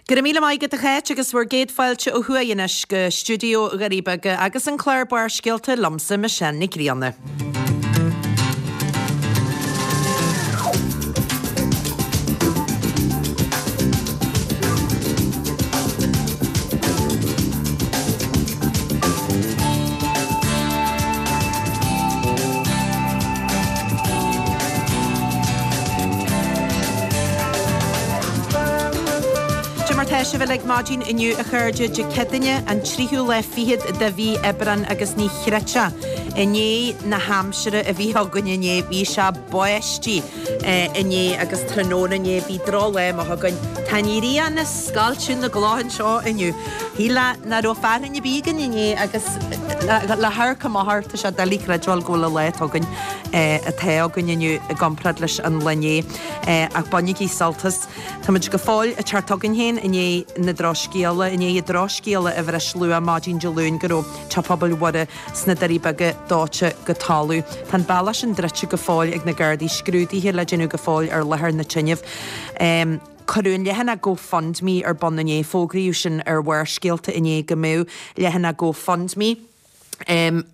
Go raibh míle maith agat a Cháit agus bhur gcéad fáilte ó thuaidh anois go stiúideo Dhoirí Beaga agus an clár Barrscéalta liomsa Michelle Nic Grianna. Cad é mar tá sibh uilig maidin inniu a chairde, Dé Céadaoine an tríú lá fichead de mhí Aibreán agus ní chreidfeá i ndiaidh na haimsire a bhí againn inné, bhí sé báistí inné agus tráthnóna inné, bhí drochlá amach againn. Tá an ghrian ag scoilteadh na gcloch anseo inniu. Shílfeá nach raibh fearthainn ar bith againn inné agus le hamharc amach air tá sé doiligh creidbheáil go bhfuil an lá atá againn atá againn inniu i gcomparáid leis an lá inné. Ach bainigí sult as. Táimid go fóill ag teacht chugainn féin i ndiaidh na drochscéala, i ndiaidh an drochscéala a bhris luath maidin Dé Luain go raibh Teach Pobail Mhuire sna Doirí Beaga dóite go talamh. Tá an bealach sin druidte go fóill ag na Gardaí, scrúduithe le déanamh go fóill ar láthair na tine. Cuireadh an leathanach GoFundMe ar bun inné. Fógraíodh sin ar Bharrscéalta inné go mbeadh leathanach GoFundMe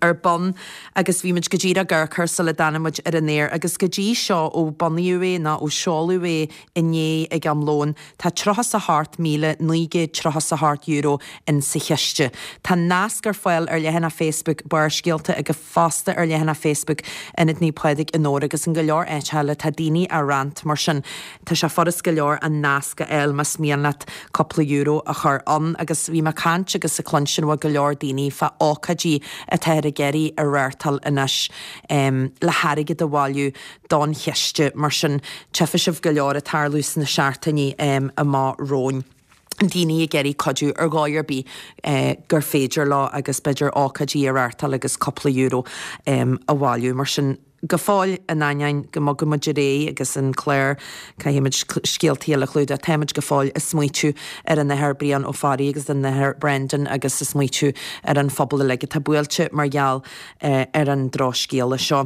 ar bun agus bhí muid go díreach ag amharc air sula dtáinig muid ar an aer agus go dtí seo ó bunaíodh é nó ó seoladh é inné ag am lóin tá €38,938 in sa chiste. Tá nasc ar fáil ar leathanach Facebook Barrscéalta agus fosta ar leathanach Facebook Ionad Naomh Pádraig i nDobhar agus in go leor áit eile tá daoine á roinnt mar sin tá sé furast go leor an nasc a fháil más mian leat cúpla euro a chur ann agus bhí mé ag caint agus ag cluinstin ó go leor daoine fá ócáidí atáthar ag iarraidh a reáchtáil anois le hairgead a bhailiú don chiste mar sin tchífidh sibh go leor ag tarlú sna seachtainí amach romhainn. daoine ag iarraidh cuidiú ar dhóigh ar bith gur féidir leo agus b'fhéidir ócáidí a reáchtáil agus cúpla euro a bhailiú. Mar sin, go fóill, in ainneoin go mbogann muid ar aghaidh agus an clár, caithfidh muid scéaltaí eile a chlúdach, tá muid go fóill ag smaoitiú ar an Athair Brian Ó Fearraigh agus an Athair Brendan agus ag smaoitiú ar an phobal uilig atá buailte mar gheall ar an drochscéala seo.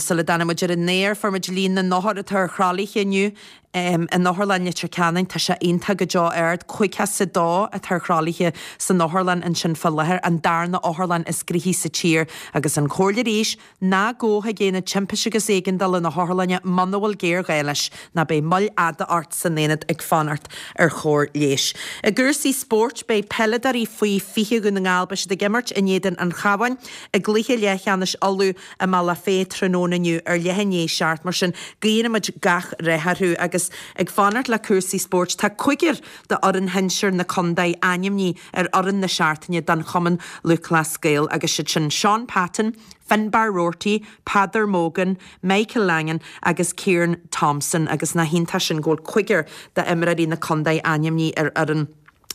Sula dtáinig muid ar an aer, fuair muid líon na n-othar atá ar thralaithe inniu. In Otharlann Leitir Ceanainn, tá sé iontach go deo ard, 52 atá ar thralaithe san otharlann ansin fá láthair, an darna otharlann is gnoithí sa tír. Agus an chomhairle arís, ná gabh chuig aonad timpiste agus éigeandála na hotharlainne muna bhfuil géarghá leis, nó beidh moill fhada ort san aonad ag fanacht ar chóir leighis. I gcúrsaí spóirt, beidh peileadóirí faoi 20 Dhún na nGall, beidh siad ag imirt in éadan an Chabháin i gcluiche leathcheannais Uladh i mBealach Féich tráthnóna inniu ar leath i ndiaidh 7, mar sin guíonn muid gach rath orthu. Agus ag fanacht le cúrsaí spóirt, tá cúigear d'fhoireann shinsir na contae ainmnithe ar fhoireann na seachtaine don Chumann Lúthchleas Gael agus siad sin Seán Patton, Finbarr Roarty, Peadar Mogan, Michael Langan agus Kieran Thompson agus nach iontach sin go bhfuil cúigear d'imreoirí na contae ainmnithe ar fhoireann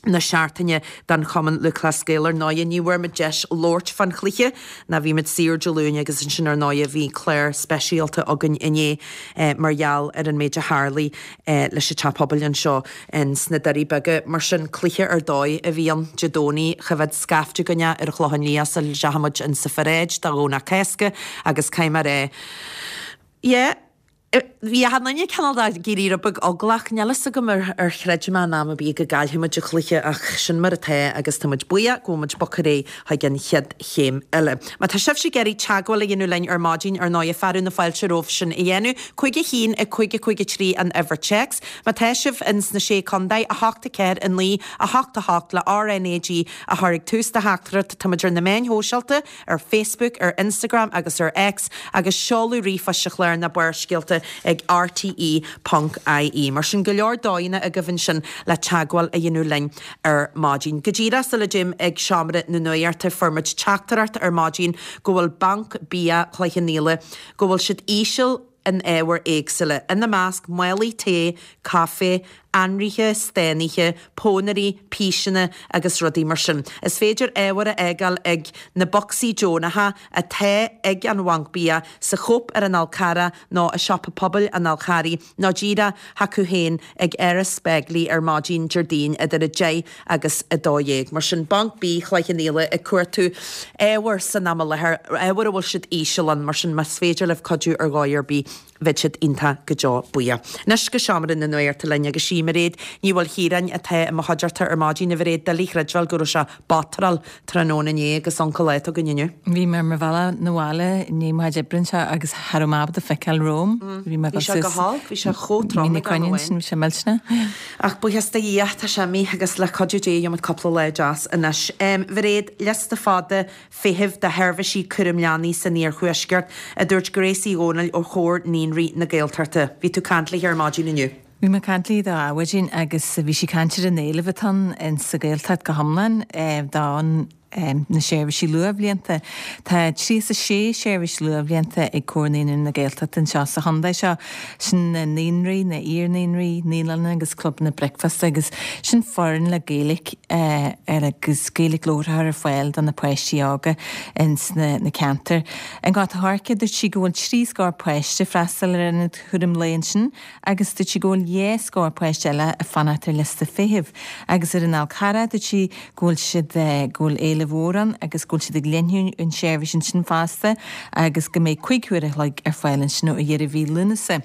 na seachtaine don Chumann Lúthchleas Gael. Ar ndóighe, ní bhfuair muid deis labhairt fán chluiche ná bhí muid saor Dé Luain agus ansin ar ndóighe bhí clár speisialta againn inné mar gheall ar an méid a tharlaigh leis an Teach Pobail anseo in sna Doirí Beaga. Mar sin, cluiche ar dóigh a bhí ann Dé Domhnaigh. Choimhéad scaifte againn é ar an Chlochán Liath sula dteachaigh muid in sa pharáid do Dhomhnach Cásca agus caithfidh mé a rá, yeah, Bhí achan duine cineál de ag éirí rud beag eaglach. Níl fhios agam ar chreid mé in am ar bith go gcaillfidh muid an cluiche ach sin mar atá agus tá muid buíoch go bhfuil muid bogtha ar aghaidh chuig an chéad chéim eile. Má tá sibhse ag iarraidh teagmháil a dhéanamh linn ar maidin, ar ndóighe, fearadh na fáilte romhaibh sin a dhéanamh. 5 1 5 5 3 an uimhir téacs. Má tá sibh ins na Sé Contae, 8 4 9 8 8 le RnaG a chur ag tús do theachtaireacht. Tá muid ar na meáin shóisialta. ar Facebook, ar Instagram agus ar X agus seoladh ríomhphoist an chláir ná Barrscéalta ag rte ponc ie. Mar sin, go leor dóigheanna agaibh ansin le teagmháil a dhéanamh linn ar maidin. Go díreach sula dtéim ag seomra na nuachta fuair muid teachtaireacht ar maidin go bhfuil Banc Bia Chloich Cheann Fhaola, go bhfuil siad íseal in ábhair éagsúla, ina measc málaí tae, caife, anraithe, stánaithe, pónairí, píseanna agus rudaí mar sin. Is féidir ábhair a fhágáil ag na bocsaí deonacha atá ag an Bhanc Bia sa Chóip ar an Fhál Carrach nó i Siopa Pobail an Fháil Charraigh nó díreach chucu féin ag Áras Begley ar maidin Déardaoin idir 10 agus 12. Mar sin, Banc Bia Chloich Cheann Fhaola ag cuartú ábhair san am i láthair, ábhair a bhfuil siad íseal ann, mar sin más féidir libh cuidiú ar dhóigh ar bith. Bheadh siad iontach go deo buíoch. Anois go seomra na nuachta linn agus sí Mairéad Ní Mhaoilchiaráin atá i mo chuideachta ar maidin. A Mhairéad, doiligh a chreidbheáil go raibh sé batráil tráthnóna inné agus uncail ata againn inniu. Bhí mé ar mo bhealach 'na bhaile i ndiaidh mo chuid oibre anseo agus cha raibh mé ábalta feiceáil romham. Bhí mé ag dul suas. Bhí sé go holc, bhí sé chomh trom ag am amháin. Bhí sé millteanach. Ach buíochas do Dhia, tá sé imithe agus le cuidiú Dé gheobhaimid cúpla lá deas anois. A Mhairéad, liosta fada feithimh do sheirbhísí cúraim leanaí san iarthuaisceart, a dúirt Grace Uí Dhomhnaill ó Chomhar Naíonraí na Gaeltachta. Bhí tú ag caint léi ar maidin inniu. Bhí mé ag caint léi d'adhmhaidin agus bhí sí ag caint ar an éileamh atá ann in sa Ghaeltacht go hiomlán don na seirbhísí luathbhlianta. Tá 36 seirbhís luathbhlianta ag Comhar Naíonraí na Gaeltachta anseo sa chontae seo. Sin na naíonraí, na iar-naíonraí, naíolanna agus clubanna bricfeasta agus sin foireann le Gaeilge ar agus Gaeilge labhartha ar fáil do na páistí óga ins na ceantair. I nGort a' Choirce dúirt sí go bhfuil trí scór páiste ag freastal ar ionad chúram lae ansin agus dúirt sí go bhfuil dhá scór páiste eile ag fanacht ar liosta feithimh agus ar an Fhál Carrach dúirt sí go bhfuil siad, go bhfuil éileamh mhór ann agus go bhfuil siad ag leathnú an tseirbhís ansin fosta agus go mbeidh 5 huair a chloig ar fáil ansin ó dheireadh mhí Lúnasa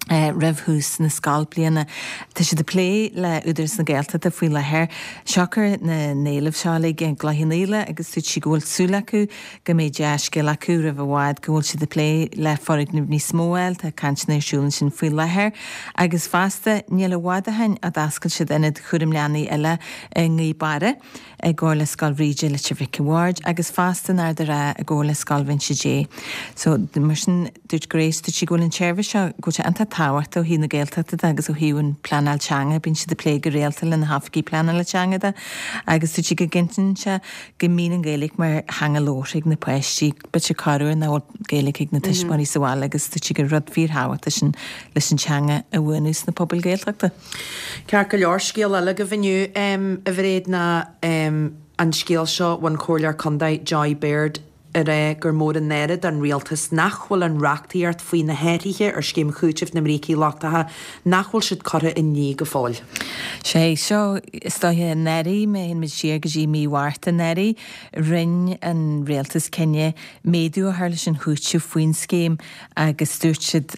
roimh thús na scoilbliana. Tá siad ag plé le Údarás na Gaeltachta faoi láthair siocair na n-éileamh seo uilig i gCloich Cheann Fhaola agus dúirt sí go bhfuil súil acu go mbeidh dea-scéal acu roimh i bhfad go bhfuil siad ag plé le foirgneamh níos mó a fháil, tá cainteanna ar siúl ansin faoi láthair. Agus fosta, níl i bhfad ó shin a d'oscail siad ionad chúram leanaí eile i nGaoth Beara i gcomhar le Scoil Bhríde Leitir Mhic a' Bhaird agus fosta in Ard a' Rátha i gcomhar le Scoil Bhinse Dé. So, mar sin, dúirt Grace, dúirt sí go bhfuil an tseirbhís seo, go bhfuil sé iontach tábhachtach ó thaobh na Gaeltachta de agus ó thaobh an pleanáil teanga, bíonn siad ag plé go rialta le na hoifigigh pleanála teanga de agus dúirt sí go gcinntíonn sé go mbíonn an Ghaeilge mar theanga labhartha ag na páistí. B'fhéidir corruair nach bhfuil Gaeilge ag na tuismitheoirí sa bhaile agus dúirt sí gur rud fíorthábhachtach sin leis an teanga a bhuanú sna pobail Ghaeltachta. Ceart go leor, scéal eile agaibh inniu, a Mhairéad, ná an scéal seo ón Chomhairleoir Contae Joy Baird, ag rá gur mór an náire don rialtas nach bhfuil an reachtaíocht faoi na hathruithe ar scéim chúitimh na mbrící lochtacha, nach bhfuil siad curtha i ndlí go fóill. Sé seo, is dóiche, anuraidh, má théann muid siar go dtí mí Mhárta anuraidh, rinne an rialtas cinneadh méadú a chur leis an chúiteamh faoin scéim agus dúirt siad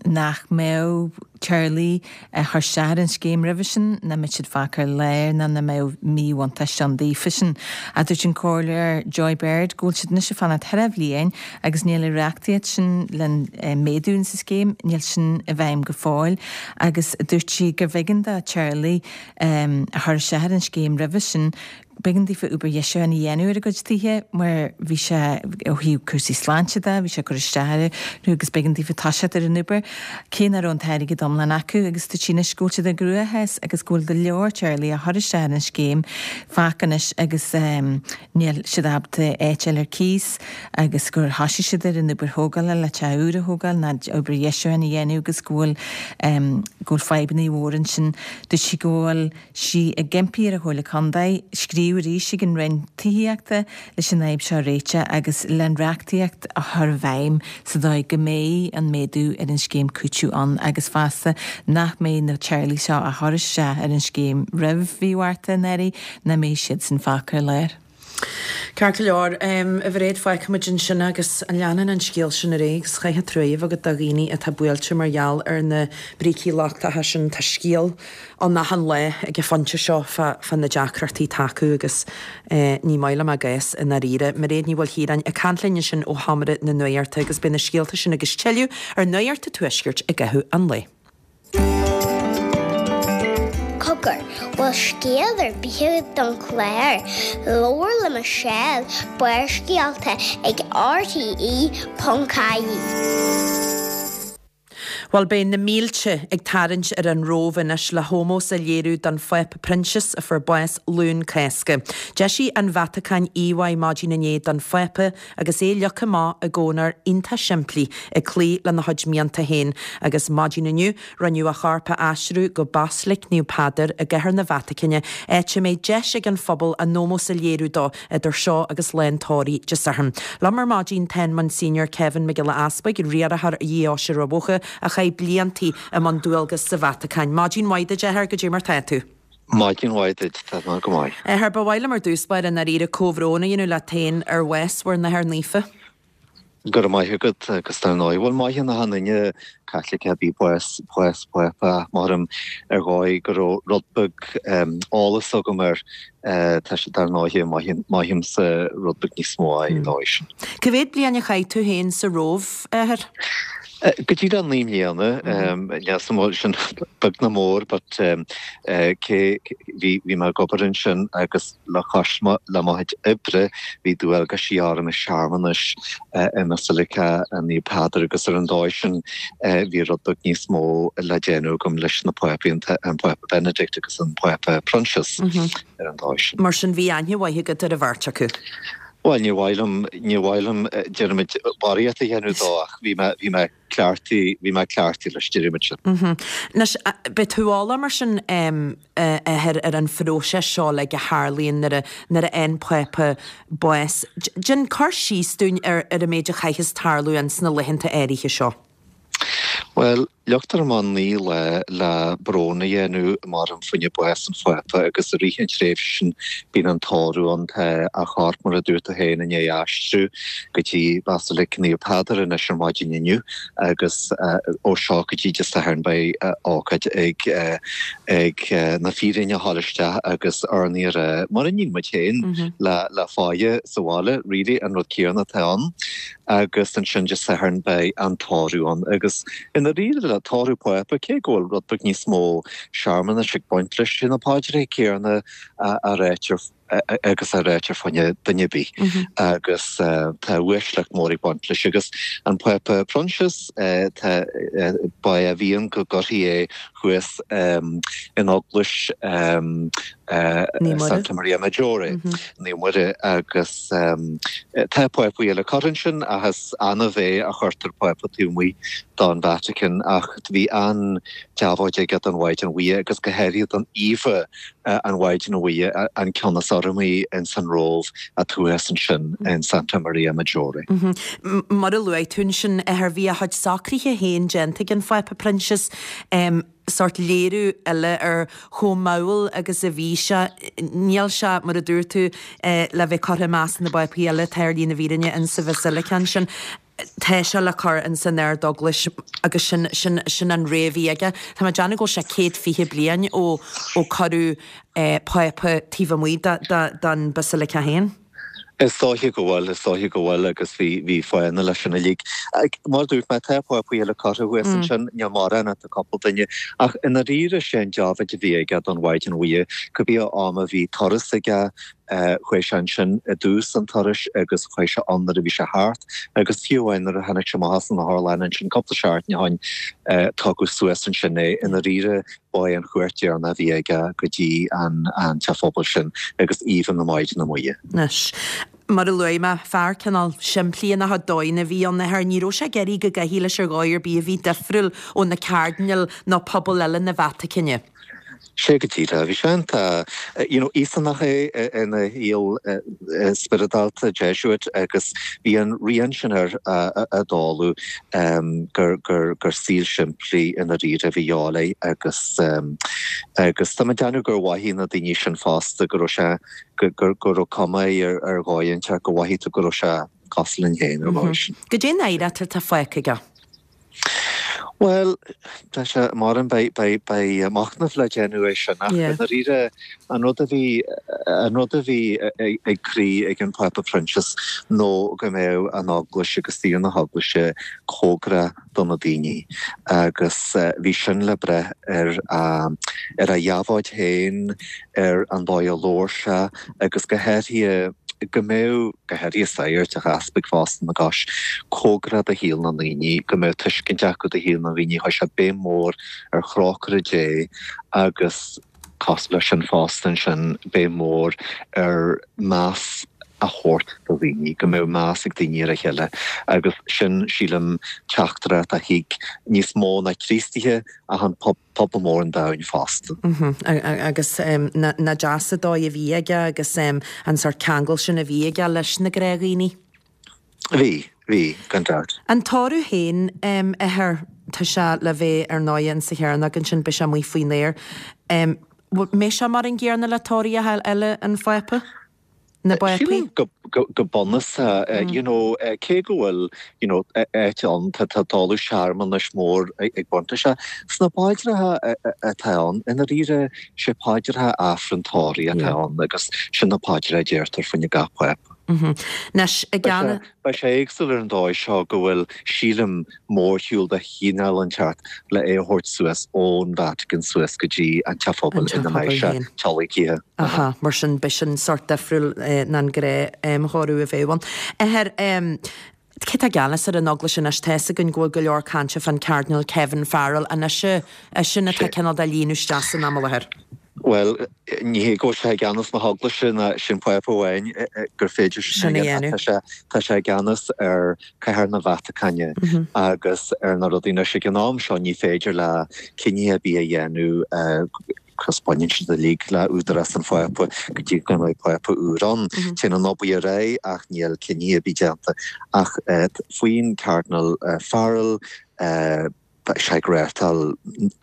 nach mbeadh teaghlaigh a chuir isteach ar an scéim roimhe sin, nach mbeadh siad fágtha ar lár ná nach mbeadh míbhuntáiste ann daofa sin. Ach dúirt an Comhairleoir Joy Baird go bhfuil siad anois ag fanacht thar bhliain agus níl an reachtaíocht sin len méadú insa scéim, níl sin i bhfeidhm go fóill agus dúirt sí gurbh éigean do teaghlaigh a chuir isteach ar an scéim roimhe sin B'éigean daofa obair dheisiúcháin a dhéanamh ar a gcuid tithe mar bhí sé, ó thaobh cúrsaí sláinte de, bhí sé ag cur isteach orthu agus b'éigean daofa toiseacht ar an obair, cé nach raibh an t-airgead iomlán acu agus dúirt sí anois go bhfuil siad i gcruachás agus go bhfuil go leor teaghlaigh a chuir isteach ar an scéim fágtha anois agus níl siad ábalta áit a fháil ar cíos agus gur thosaigh siad ar an obair thógála le teach úr a thógáil ná obair dheisiúcháin a dhéanamh agus go bhfuil go bhfuil fadhbanna mhóra ansin. Dúirt sí go bhfuil sí ag impí ar an Chomhairle Contae scríobh arís ag an Roinn Tithíochta leis an fhadhb seo a réiteach agus le an reachtaíocht a chur i bhfeidhm sa dóigh go mbeidh an méadú ar an scéim cúitimh ann agus fosta nach mbeidh na teaghlaigh seo a chuir isteach ar an scéim roimh mhí Mhárta anuraidh nach mbeidh siadsan fágtha ar lár. Ceart go leor, a Mhairéad, fágfaimid ansin agus leanann an scéal sin ar aghaidh agus chaithfeá trua a bheith agat do dhaoine atá buailte mar gheall ar na brící lochtacha sin. Tá scéal ann achan lá ag an phointe seo fá na deacrachtaí atá acu agus ní maith liom a gcás i ndáiríre. Mairéad Ní Mhaoilchiaráin ag caint linn ansin ó Sheomra na Nuachta agus beidh na scéalta sin agus tuilleadh ar Nuacht an Tuaiscirt i gcaitheamh an lae. Cogar, bhfuil scéal ar bith agat don chlár? Labhair le Michelle, Barrscéalta ag RTE.ie. Bhuel, beidh na mílte ag tarraingt ar an Róimh anois le hómós a léiriú don Phápa Proinsias a fuair bás Luan Cásca. D'eisigh an Vatacáin íomhá maidin inné don Phápa agus é leagtha amach i gcónóir iontach simplí, ag cloí lena chuid mianta féin, agus maidin inniu, rinneadh a chorp a aistriú go Baislic Naomh Peadar i gCathair na Vatacáine, áit a mbeidh deis ag an phobal a n-ómós a léiriú dó idir seo agus lá an tórraimh Dé Sathairn. Liom ar maidin tá an Monsignor Kevin Mac Giolla Easbuig, riarthóir Dheoise Rath Mhócha, a chaith bliantaí i mbun dualgas sa Vatacáin. Maidin mhaith duit, a Athair, goidé mar tá tú? Maidin mhaith duit, tá mé go maith. A Athair, ba mhaith liom ar dtús báire i ndáiríre comhbhrón a dhéanamh leat féin ar bhás bhur n-athair naofa. Go raibh maith agat agus dar ndóigh, bhuel mothaíonn achan duine Caitliceach ar bith bás, bás Pápa ach mothaím ar dhóigh go raibh rud beag eolas agam air, tá sé dar ndóigh, mothaímse rud beag níos mó ar an dóigh sin. Cá mhéad bliain a chaith tú féin sa Róimh, a Athair? Go díreach 9 mbliana, níl 'fhios a'm an bhfuil sin beag nó mór but cé, bhí mé ag obair ansin agus Le cois le mo chuid oibre, bhí dualgaisí orm i searmanais i mBasilica Naomh Peadar agus ar an dóigh sin bhí rud beag níos mó le déanamh agam leis na Pápaí, an Pápa Benedict agus an Pápa Proinsias ar an dóigh sin. Mar sin bhí aithne mhaith agat ar an bheirt acu? Bhuel, níor mhaith liom, níor mhaith liom, déarfaimid, barraíocht a dhéanamh dó ach bhí mé, bhí mé cleachtaithe, bhí mé cleachtaithe leis, déarfaimid sin. Anois, beidh tú eolach mar sin, a Athair, ar an phróiseas seo uilig a tharlaíonn nuair a, nuair a fhaigheann Pápa bás. Déan cur síos dúinn ar, ar an méid a chaithfeas tarlú ins na laethanta áirithe seo. Bhuel, leagtar amach 9 lá le brón a dhéanamh maram fá choinne bás an Phápa agus i rith an tréimhse sin bíonn an tórramh ann. Tá a chorp, mar a dúirt tú féin, i ndiaidh aistriú go dtí Basilic Naomh Peadar anois ar maidin inniu agus ó seo go dtí Dé Sathairn beidh ócáid ag ag na fíréin a ghabháil isteach agus urnaí a rá, mar a níonn muid féin le fáidhe sa bhaile, really, an rud céanna atá ann. Agus ansin Dé Sathairn beidh an tórramh ann agus i ndáiríre le tórramh Pápa, cé go bhfuil rud beag níos mó searmanais ag baint leis, sé na paidreacha céanna a ráitear agus a ráitear fá choinne duine ar bith agus tá uaisleacht mór ag baint leis. Agus an Pápa Proinsias, tá, ba é a mhian go gcuirfí é thuas in Eaglais Santa Maria Maggiore, Naomh Muire, agus tá Pápaí eile curtha ansin ach is annamh é a chuirtear Pápa taobh amuigh don Vatican ach bhí an-deabhóid aige don Mhaighdean Mhuire agus go háirithe don íomha an Mhaighdean Mhuire, an ceann is urramaí ins an Róimh atá thuas ansin in Santa Maria Maggiore. Mar a luaigh tú ansin, a Athair, bhí a chuid socruithe féin déanta ag an Phápa Proinsias, sórt léiriú eile ar chomh mall agus a bhí sé. Níl sé, mar a dúirt tú, le bheith curtha i measc na bPápaí eile atá ar shlí na bhfírinne in sa Bhasilica ansin. Tá sé le cur ins an Ard-Eaglais agus sin, sin, sin an rogha a bhí aige. Tá mé ag déanamh go bhfuil sé 120 bliain ó, ó cuireadh Pápa taobh amuigh de, de, den Basilica féin. Is dóiche go bhfuil, is dóiche go bhfuil agus bhí, bhí fáthanna leis sin uilig. Mar a dúirt mé, tá Pápaí eile curtha thuas ansin, níl mórán ach tá cúpla duine, ach i ndáiríre sé an deabhóid a bhí aige don Mhaighdean Mhuire, cibé am a bhí turas aige, Chuaigh sé ansin i dtús an turais agus chuaigh sé ann nuair a bhí sé thart agus fiú amháin nuair a tháinig sé amach as an otharlann ansin cúpla seachtain ó shin tugadh suas ansin é. I ndáiríre ba é an chuairt dheireanach a bhí aige go dtí an teach pobail sin agus íomha na Maighdine Muire. Anois, mar a luaigh mé, fear cineál simplí ina chuid dóigheanna a bhí ann, a Athair. Ní raibh sé ag iarraidh go gcaithfí leis ar dhóigh ar bith a bhí difriúil ó na cairdinéil nó pobal eile na Vatacáine. Sé go díreach. Bhí sé iontach, you know, Íosánach é ina shaol spioradálta, Jesuit, agus bhí an rian sin air i dtólamh gur, gur, gur saol simplí i ndáiríre a bhí a dhíobháil air agus, agus tá mé ag déanamh gur mhothaigh na daoine sin fosta go raibh sé, go, go, go raibh cuma air ar dhóigh inteacht go mhothaigh tú go raibh sé cosúil linn féin ar dhóigh sin. Goidé an oidhreacht atá fágtha aige? Bhuel, tá sé mar an beidh, beidh, beidh machnamh le déanamh air sin ach i ndáiríre an rud a bhí, an rud a bhí ag croí ag an Phápa Proinsias nó go mbeadh an Eaglais agus saol na hEaglaise cóngarach do na daoine agus bhí sin le brath ar a, ar a dheabhóid féin, ar an dóigh a labhair sé agus go háirithe go mbeadh, go háirithe sagairt agus easpaig fosta ina gcois, cóngarach do shaol na ndaoine, go mbeadh tuiscint acu do shaol na ndaoine. Chuir sé béim mhór ar thrócaire Dé agus cosúil leis sin fosta ansin, béim mhór ar meas a thabhairt do dhaoine, go mbeadh meas ag daoine ar a chéile agus sin, sílim, teachtaireacht a thuig níos mó ná Críostaithe ach an pobal mór an domhain fosta. Agus nach deas an dóigh a bhí aige agus an sórt ceangal sin a bhí aige leis na gnáthdhaoine. Bhí, bhí, gan dabht. An tórramh féin, a Athair, tá sé le bheith ar ndóighe in sa Chearnóg ansin, beidh sé amuigh faoin aer. Mbeidh sé mar an gcéanna le tórraimh eile an Phápa? Na bPápaí? Sílim go bunúsach, you know, cé go bhfuil, you know, áit ann, tá dáileadh searmanais mór ag baint leis seo. Sna paidreacha atá ann, i ndáiríre, sé paidreacha Aifreann tórraimh atá ann agus sin na paidreacha a deirtear fá choinne gach Pápa. Anois, i gceann. Beidh sé éagsúil ar an dóigh seo go bhfuil, sílim, mórshiúl de chineál inteacht le é a thabhairt suas ón Vatican suas go dtí an Teach Phobail ina mbeidh sé tiolactha. Aha, mar sin beidh sin sórt difriúil ná an gnáth-thórramh a bheadh ann. Athair, cé tá i gceannas ar an Eaglais anois? Tá fhios againn go bhfuil go leor cainte fán Cardinal Kevin Farrell. An eisean atá cineál de líonadh isteach san am i láthair? Bhuel, ní hé go bhfuil sé i gceannas na hEaglaise ná sin Pápa amháin gur féidir sin a dhéanamh ach tá sé i gceannas ar Chathair na Vatacáine agus ar na rudaí. Anois ag an am seo ní féidir leis cinntí ar bith a dhéanamh cos baineann siad uilig le údarás an Phápa go dtí go mbeidh Pápa úr ann. Téann an obair ar aghaidh ach níl cinntí ar bith déanta. Ach faoin Cardinal Farrell, Tá sé ag reáchtáil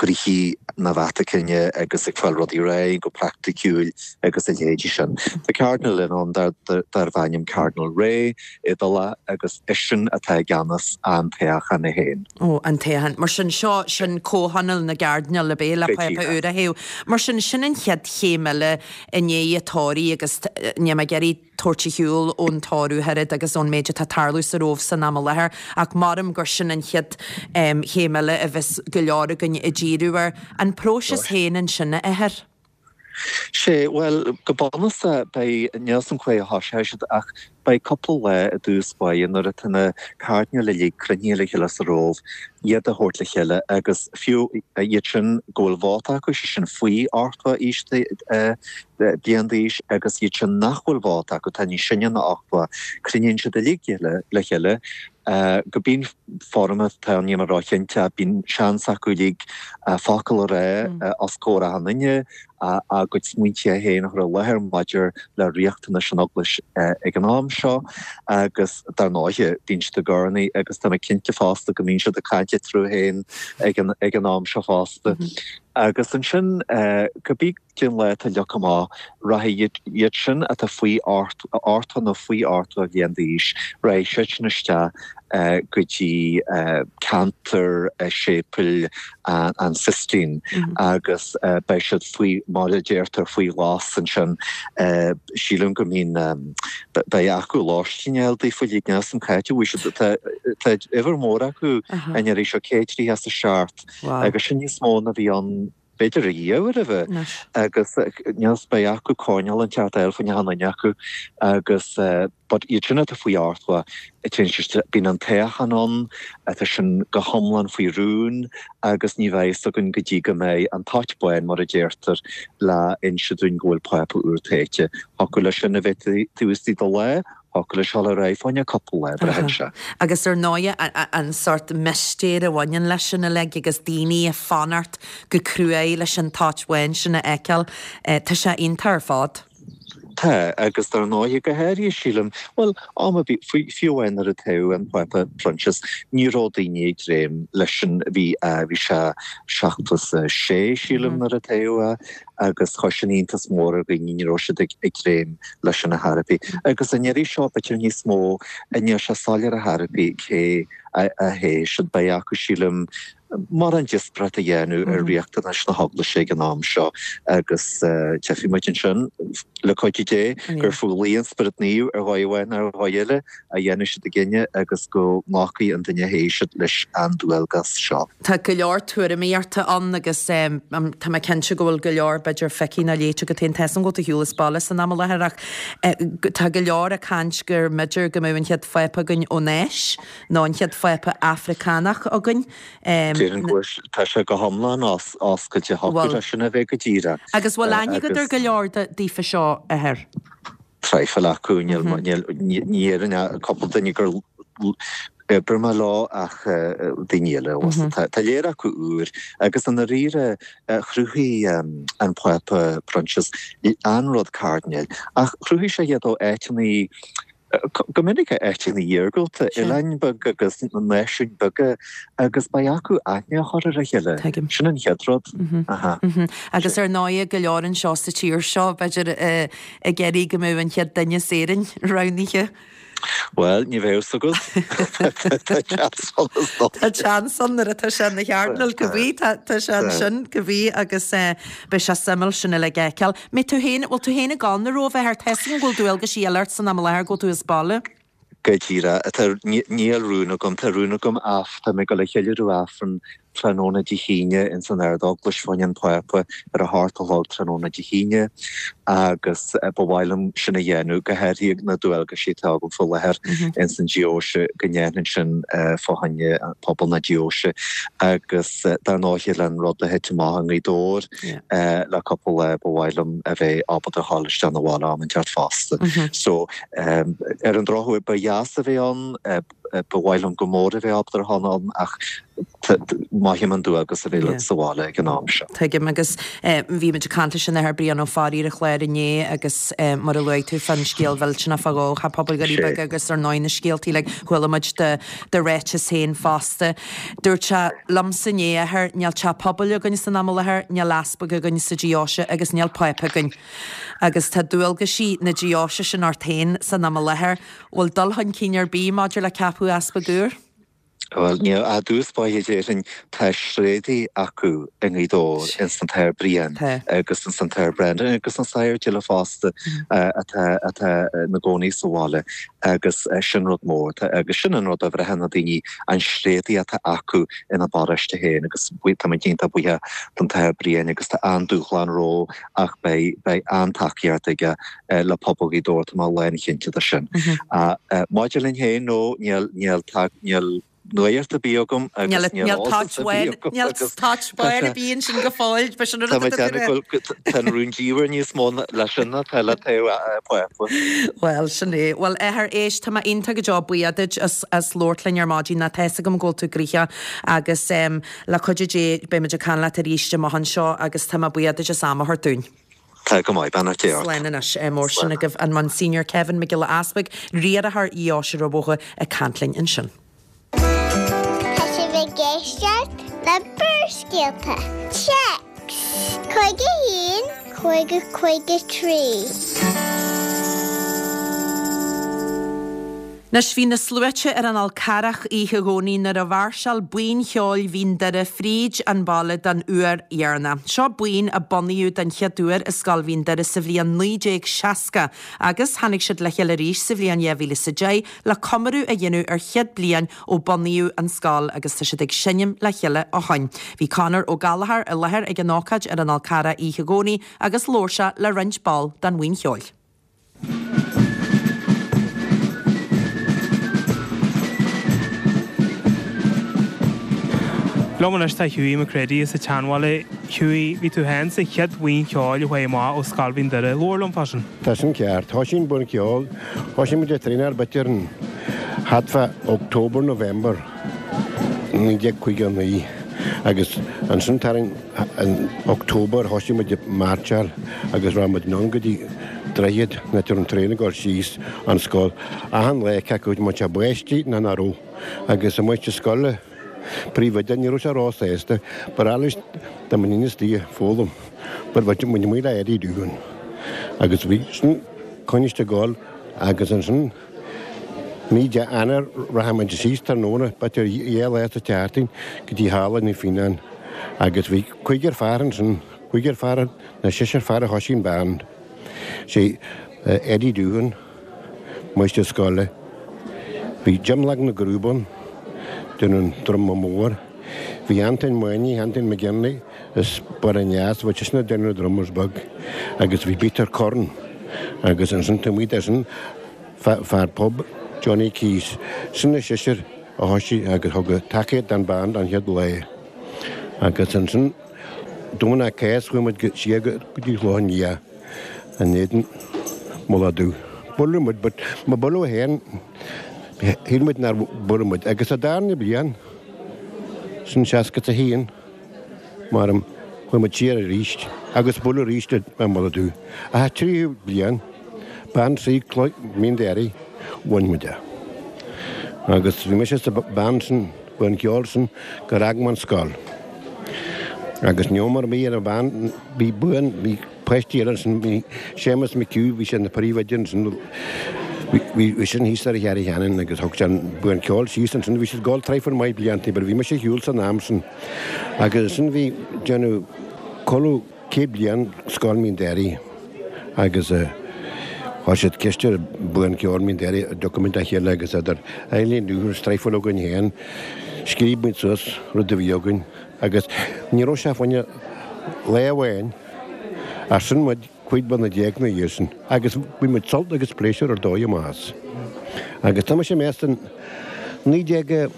gnoithí na Vatacáine agus ag fáil rudaí ar aghaidh go praiticiúil agus a leithéidí sin. Tá Cardinal eile ann darbh ainm Cardinal Re, Iodálach, agus eisean atá i gceannas an toghchán é féin. Ó, an toghchán. Mar sin, seo, sin comhthionól na gCairdinéal ab é le Pápa úr a thoghadh. Mar sin, sin an chéad chéim eile i ndiaidh an tórraimh agus níl mé ag iarraidh tabhairt ar shiúl ón tórramh oiread agus ón méid atá ag tarlú sa Róimh san am i láthair, ach maram gur sin an chéad chéim eile a bheas go leor againn ag díriú air. An próiseas féin ansin, a Athair? Sé, bhuel, go bunúsach, beidh, níl 'fhios a'm cá huair a thoiseoidh siad ach beidh cúpla lá i dtús báire nuair atá na cairdinéil uilig cruinnithe le chéile sa Róimh, iad a thabhairt le chéile agus fiú iad sin go bhfuil vóta acu, sé sin faoi 80 aois bliain d'aois agus iad sin nach bhfuil vóta acu, atá níos sine ná 80, cruinníonn siad uilig le chéile go bíonn foirm atá ann, níl mé róchinnte, bíonn seans acu uilig focal a rá os comhair achan duine, a gcuid smaointe féin a chur i láthair maidir le riachtanais an Eaglais ag an am seo agus dar ndóighe bíonn siad ag urnaí agus tá mé cinnte fosta go mbíonn siad ag caint eatarthu féin ag an am seo fosta. Agus ansin cibé cén lá atá leagtha amach, rachaidh iad sin atá faoi 80 nó faoi 80 bhliain d'aois, rachaidh siad sin isteach go dtí ceantar séipéil an Sistine agus beidh siad faoi, mar a deirtear, faoi ghlas ansin. Sílim go mbíonn, beidh acu lóistín a fháil daofa uilig, níl 'fhios a'm cá háit a bhfuil siad, tá uimhir mhór acu an iarraidh seo, 137, agus sin níos mó ná bhí ann b'fhéidir riamh roimhe agus níl 'fhios beidh acu coirnéal inteacht a fháil fá choinne achan duine acu agus but iad sin atá faoi 80 téann siad bíonn an toghchán ann atá sin go hiomlán faoi rún agus ní bheidh fhios againn go dtí go mbeidh an toit bán mar a deirtear le inse dúinn go bhfuil Pápa úr toighte. Thiocfadh leis sin a bheith taobh istigh de lá Thiocfadh leis dul ar aghaidh fá choinne cúpla lá, braitheann sé. Agus ar ndóighe, an sórt mistéir a bhaineann leis sin uilig agus daoine ag fanacht go cruaidh leis an toit bhán sin a fheiceáil, tá sé iontach ar fad. Tá, agus dar ndóighe, go háirithe, sílim, bhuel, am ar bith, fiú amháin nuair a toghadh an Pápa Proinsias, ní raibh daoine ag dréim leis sin, bhí, bhí sé 76, sílim, nuair a toghadh é, agus chuir sin iontas mór ar dhaoine, ní raibh siad ag dréim leis sin ar chor ar bith. Agus an iarraidh seo, b'fhéidir níos mó, níl sé soiléir ar chor ar bith cé a thoghfaidh siad. Beidh acu, sílim, mórán díospóireacht a dhéanamh ar riachtanais na hEaglaise ag an am seo agus tchífidh muid ansin, le cuidiú Dé, gur faoi luí an Spioraid Naoimh ar dhóigh amháin nó ar dhóigh eile a dhéanfaidh siad a gcinneadh agus go nglacfaidh an duine a thoghfaidh siad leis an dualgas seo. Tá go leor tuairimíochta ann agus tá mé cinnte go bhfuil go leor, b'fhéidir, feicthe nó léite agat féin. Tá 'fhios a'm go bhfuil tú ar shiúl as baile san am i láthair ach tá go leor ag caint gur mb'fhéidir go mbeadh an chéad Phápa againn ón Áis nó an chéad Phápa Afracánach againn. Déarfainn go bhfuil, tá sé go hiomlán oscailte, thiocfadh leis sin a bheith go díreach. Agus bhfuil aithne agat ar go leor daofa seo, a Athair? Traidhfil acu, níl, ní déarfainn ach cúpla duine gur oibrigh mé leo ach daoine eile fosta. Tá léir acu úr agus i ndáiríre chruthaigh an Pápa Proinsias an rud cairdinéil ach chruthaigh sé iad ó áiteanna. Go minic áiteanna iargúlta, oileáin beaga agus náisiúin beaga agus beidh acu aithne a chur ar a chéile. Sin an chéad rud. Agus ar ndóighe go leor anseo sa tír seo, b'fhéidir, ag iarraidh go mbeadh an chéad duine as Éirinn roghnaithe. Bhuel, ní bheadh fhios agat. Tá seans ann is dócha. Tá seans ann nuair atá sé ina chairdinéal, cibé, tá sé ansin, cibé, agus beidh sé suimiúil sin uilig a fheiceáil. Mbeidh tú féin, bhfuil tú féin ag gabháil na Róimhe, a Athair? Tá fhios agam go bhfuil dualgaisí eile ort san am i láthair, go bhfuil tú as baile. Go díreach. Tá, níl rún agam, tá rún agam af, tá mé ag dul a cheiliúradh Aifreann tráthnóna Dé hAoine ins an Ard-Eaglais fá choinne an Phápa ar a hocht a chlog tráthnóna Dé hAoine agus ba mhaith liom sin a dhéanamh, go háirithe na dualgaisí atá agam faoi láthair ins an deoise, go ndéanfainn sin fá choinne pobal na deoise agus dar ndóighe le an rud a thit amach i nGaoth Dobhair le cúpla lá ba mhaith liom a bheith ábalta a ghabháil isteach 'na bhaile am inteacht fosta. So ar an drochuair ba dheas a bheith ann, Ba mhaith liom go mór a bheith ábalta a ghabháil ann ach mothaím an dualgas a bheith sa bhaile ag an am seo. Tuigim agus bhí muid ag caint leis an Athair Brian Ó Fearraigh ar an chlár inné agus mar a luaigh tú fán scéal mhillteanach fá dhó, Theach Pobail Dhoirí Beaga agus ar ndóigh na scéaltaí uilig chuala muid do do ráiteas féin fosta. Dúirt sé liomsa inné, Athair, níl teach pobail againn san am i láthair, níl easpag againn sa deoise agus níl pápa againn. Agus tá dualgaisí na deoise sin ort féin san am i láthair. Bhfuil dul chun cinn ar bith maidir le ceapadh easpag úr? Bhuel, níl. I dtús báire déarfainn tá tréadaí acu i nGaoth Dobhair, ins an tAthair Brian agus ins an tAthair Brendan agus an Sagart Gilla fosta atá atá ina gcónaí sa bhaile agus sin rud mór. Agus sin an rud a bhraitheann na daoine, an tréadaí atá acu ina bparóiste féin agus tá muid iontach buíoch don tAthair Brian agus tá an-dúshlán rompu ach beidh beidh an-tacaíocht aige le pobal Ghaoth Dobhair, tá mé lánchinnte de sin. Maidir linn féin, no, níl, níl, níl nuacht ar bith agam agus níl eolas ar bith agam. Níl toit bán ar bith ansin go fóill, b'shin an rud atá tú ag rá. Tá an rúndiamhair níos mó leis sin ná atá le taobh Pápa. Bhuel, sin é. Bhuel, Athair, éist, tá mé iontach go deo buíoch duit as as labhairt linn ar maidin, tá a fhios agam go bhfuil tú gnoitheach agus le cuidiú Dé beidh muid ag caint leat arís amach anseo agus tá mé buíoch duit as am a thabhairt dúinn. Tá go maith, beannacht Dé ort. Slán anois. Mar sin agaibh an Monsignor Kevin Mac Giolla Easbuig, riarthóir Dheoise Rubha Bhótha ag caint linn ansin. Tá sibh ag éisteacht le Barrscéalta. Téacs 51 50 53. Anois bhí na sluaite ar an Fhál Carrach oíche Dhomhnaigh nuair a mháirseáil Buíon Cheoil Mhín Doire fríd an baile don uair dheireanach. Seo buíon a bunaíodh den chéad uair i Scoil Mhín Doire sa bhliain 1960 agus tháinig siad le chéile arís sa bhliain 2010 le comóradh a dhéanamh ar chéad bliain ó bunaíodh an scoil agus tá siad ag seinm le chéile ó shoin. Bhí Conor Ó Gallchóir i láthair ag an ócáid ar an Fhál Carrach oíche Dhomhnaigh agus labhair sé le roinnt ball den bhuíon cheoil. Liom anois tá Hughie McCready as an tSeanbhaile. Hughie, bhí tú féin sa chéad bhuíon cheoil a chuaigh amach ó Scoil Mhín Doire. Labhair liom fá sin. Tá sin ceart. Thoisigh an buíon ceoil, thoisigh muid ag traenáil b'fhéidir an thart fá October, November 1959 agus ansin tarraing in October thoisigh muid ag mairseáil agus raibh muid anonn go dtí Droichead an áit a raibh an traein ag dul síos an scoil achan lá cé acu an mbeadh sé báistí nó nach raibh agus an máistir scoile príomhoide ní raibh sé róshásta ba ghnách leis dá mbeinn istigh ag foghlaim but bhí muid amuigh le Eddie Doohan agus bhí sin coinniste ag dul agus ansin mí de Eanáir rachaidh muid síos tráthnóna b'fhéidir dhá lá sa tseachtain go dtí Halla Naomh Fíonán agus bhí cúigear fear ansin cúigear fear nó seisear fear a thoisigh an band. Sé Eddie Doohan, máistir scoile. Bhí Jim Lag na gCrúb ann, déanamh an druma mór. Bhí Antain Moynihan, Antain McGinley as Baile an Eas, bhí seisean ag déanamh na drummers beag. Agus bhí Peter Curran agus ansin taobh amuigh de sin fear pub, Johnny Keyes. Sin na seisear a thoisigh agus thug tacaíocht don band an chéad lá. Agus ansin. Domhnach Cásca chuaigh muid siar go dtí Clochán Liath in éadan Mullach Dubh. Buaileadh muid but má buaileadh féin shíl muid nár buaileadh muid. Agus sa darna bliain, sin 61, maram, chuaigh muid siar arís agus buaileadh arís i Mullach Dubh. Ach sa tríú bliain, Bean Trí Cloich Mín Doire. bhain muid é. Agus bhí mise sa band sin, buíon ceoil sin, gur fhág mé an scoil. Agus ní raibh mar bhí ar an band, bhí buíon, bhí páistí eile ansin, bhí Séamus McHugh, bhí sé ina phríomhoide ansin, bhí, bhí sin thíos ar Charraig Cheanainn agus thug sé an buíon ceoil síos ansin, bhí siad ag gabháil traidhfil maith blianta, but bhí mise ar shiúl san am sin. Agus ansin bhí déanamh codladh 100 bliain Scoil Mín Doire agus chuir siad ceist ar Buíon Ceoil Mín Doire an dtiocfadh muid le chéile agus idir Eileen Dúthar traidhfil againn féin, scríobh muid suas rud a bhí againn agus ní raibh sé fá choinne lá amháin ach sin muid 15 bliana ina dhiaidh sin agus bhain muid sult agus pléisiúr ar dóigh amach as. Agus tá mise ag meas in 19,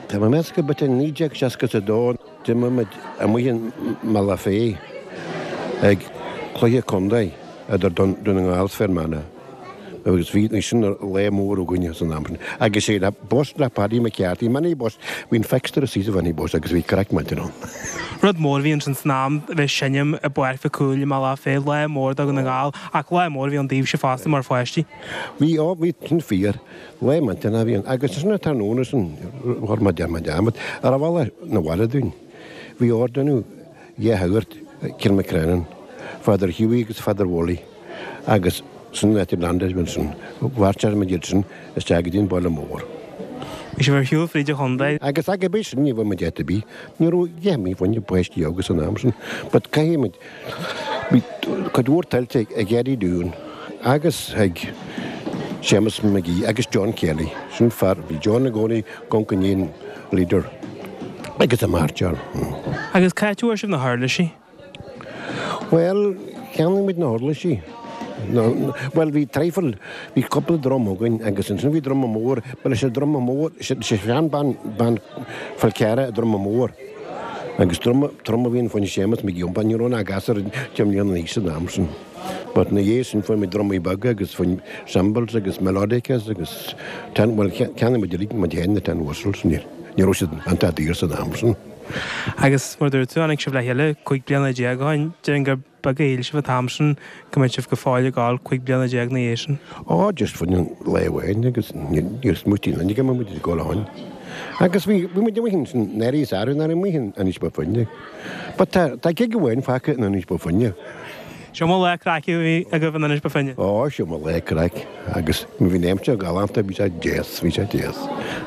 tá mé ag meas go b'fhéidir 1962, D'imir muid amuigh i mBealach Féich ag cluiche contae idir Dún na nGall 's Fear Manach agus bhí sin lá mór againne san am sin. Agus sé le bus le Paddy McCarthy, minibus, bhí an fixture istigh sa mhinibus agus bhí craic millteanach ann. Rud mór a bhí ansin san am a bheith ag seinm i bPáirc Mhic Cumhaill i mBealach Féich, lá mór do Dhún na nGall ach lá mór a bhí ann daoibhse fosta mar pháistí. Bhí, ó bhí, sin fíor. Lá millteanach a bhí ann. Agus ansin an tráthnóna sin, chuir mé dearmad mé dearmad ar an bhealach 'na bhaile dúinn. Bhí ordánú dhá shagart i Kilmacrennan, Father Hughie agus Father Wullie, agus sin an áit a landáil muid ansin. Mhairseáil muid iad sin isteach go dtí an baile mór. Bhí sibh ar shiúl fríd an chontae. Agus ag bith sin ní bhfuair muid áit ar bith. Ní raibh a dhath amuigh fá choinne páistí óga san am sin. But caithfidh muid Bhí cuid mhór tuillte ag Eddie Dunne agus ag Séamus McGee agus John Kelly. Sin fear, bhí John i gcónaí ag amharc i ndiaidh an leader agus an mairseáil. Agus cá háit a bhfuair sibh na huirlisí? Bhuel, cheannaigh muid na huirlisí. Bhuel, bhí traidhfil, bhí cúpla drum againn agus ansin bhí druma mór, ba leis an druma mór, sé seanbhean, bean Fál Carrach an druma mór. Agus druma trom a bhí ann fá choinne Séamus McGee iompar, ní raibh ach gasúr 10 mbliana d'aois san am sin. But ina dhiaidh sin fuair muid drumaí beaga agus fuair cymbals agus melodicas agus tin, bhuel cheannaigh muid uilig muid féin na tin whistles, ní raibh siad iontach daor san am sin. Agus mar a dúirt tú, tháinig sibh le chéile 15 bliana ó shin, déarfainn gur beag a shíl sibh an t-am sin go mbeadh sibh go fóill ag gabháil 15 bliana ina dhiaidh sin. Ó, just fá choinne lá amháin agus níor smaoitigh aon duine go mbeadh muid ag gabháil ó shin. Agus bhí, bhí muid amuigh ansin, ndáiríre is arú nach raibh amuigh in Inis Bó Finne. But tá, tá gig amháin fágtha in Inis Bó Finne. Is iomaí lá craic a bhí agaibh in Inis Bó Finne. Ó, is iomaí lá craic agus bhí an aimsir galánta, bhí sé deas, bhí sé deas.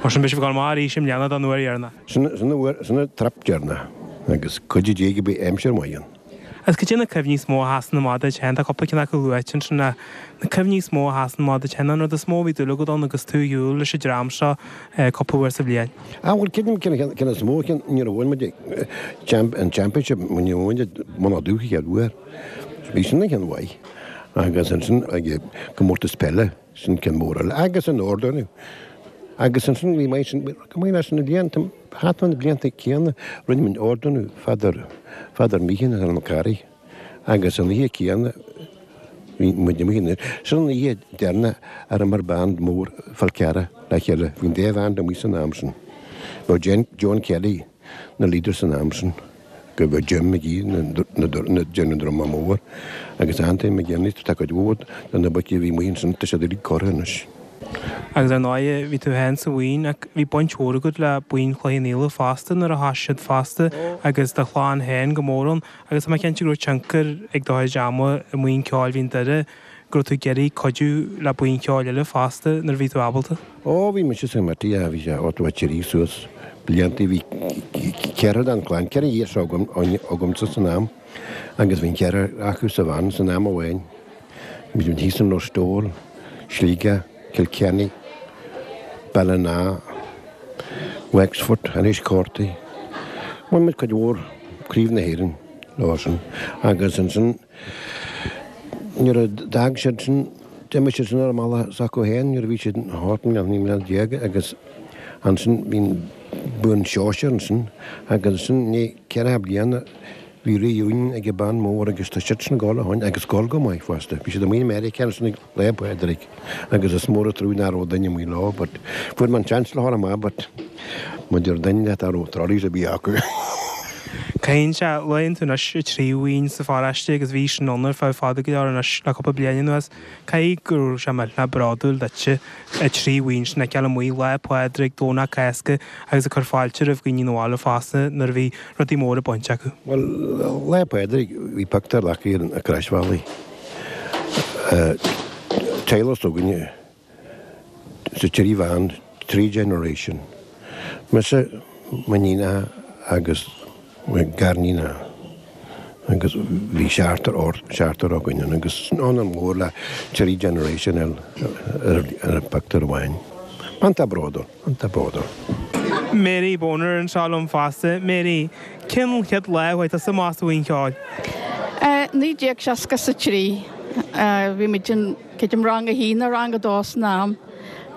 Mar sin beidh sibh ag gabháil amach arís i mbliana don uair dheireanach. Sin, sin an uair, sin an trip deireanach agus cuidiú Dé go mbeidh aimsir mhaith ann. Agus cad é na cuimhní is mó a sheasann amach duit féin? Tá cúpla ceann acu luaite ansin ach na cuimhní is mó a sheasann amach duit féin, an rud is mó a bhí dúil agat ann agus tú ar shiúl leis an dream seo cúpla uair sa bhliain? Ah bhuel creidim ceann ceann is mó ceann nuair a bhain muid champ an championship nuair a bhain muid Mullach Dubh an chéad uair. Bhí sin an ceann mhaith agus ansin ag comórtas peile sin ceann mór eile agus an ardán agus ansin bhí maith sin go maith leis na blianta Thart fá na blianta céanna, rinne muid ordánú Father, Father Meehan ar an Carraig agus an oíche céanna bhí muid amuigh in, sin an oíche deireanach ar imir band mór Fál Carrach le chéile, bhí an dá bhand amuigh san am sin. Bheadh John Kelly na leader san am sin, go bheadh Jim McGee na, na, na, déanamh druma mór agus Anthony McGinley, tá cuid mhór de na boic a bhí amuigh ansin, tá siad uilig curtha anois. Agus ar ndóigh, bhí tú féin sa bhuíon ach bhí baint mhór agat le buíon Chloich Cheann Fhaola fosta nuair a thosaigh siad fosta agus do chlann féin go mór ann agus tá mé cinnte go raibh tionchar ag do chuid ama i mbuíon ceoil Mhín Doire go raibh tú ag iarraidh cuidiú le buíon cheoil eile fosta nuair a bhí tú ábalta. Ó, bhí mise sa committee, yeah, bhí sé 83 suas blianta, bhí ceathrar den chlann, ceithre dheartháir agam, agamsa san am agus bhí an ceathrar acu sa bhand san am amháin. Bhí muid thíos in Listowel, Sligeach, Kilkenny, Ballina, Wexford, Enniscorthy. Bhain muid cuid mhór Craobh na hÉireann leo sin agus ansin nuair a d'fhág siad sin, d'imigh siad sin ar a mbealach s'acu féin nuair a bhí siad thart 19 mbliana agus ansin bhí an buíon sóisear ansin agus ansin i ndiaidh ceithre bliana Bhí reunion ag an band mór agus tá siad sin ag gabháil ó shoin agus ag gabháil go maith fosta. Bhí siad amuigh i Meiriceá ansin ag Lá Pádraig agus is mór an trua nach raibh duine amuigh leo but fuair mé an seans le dhul amach but maidir duine leat a raibh trolleys ar bith acu. Caithfidh sé, luann tú anois an tríú bhuíon sa pharóiste agus bhí sin ann ar feadh fada go leor anois le cúpla bliain anuas. Caithfidh go raibh sé millteanach bródúil duitse an tríú bhuíon sin a fheiceáil amuigh Lá Pádraig, Domhnach Cásca agus ag cur fáilte roimh dhaoine 'na bhaile fosta nuair a bhí rudaí móra bainte acu. Bhuel, Lá Pádraig bhí pictiúr acu ar an gcroisbhealaigh. Teaghlach s'againne sa trí bhean, trí generation. Mise, m'iníonacha agus mo ghariníonacha agus bhí seachtar seachtar againn ann agus ionadh mór le trí generation ar ar an pictiúr amháin. Iontach bródúil, iontach bródúil. Mary Boner anseo liom fosta. Mary, cén chéad lá a chuaigh tusa amach sa bhuíon cheoil? 1963. Bhí muid in. Creidim rang a haon nó rang a dó san am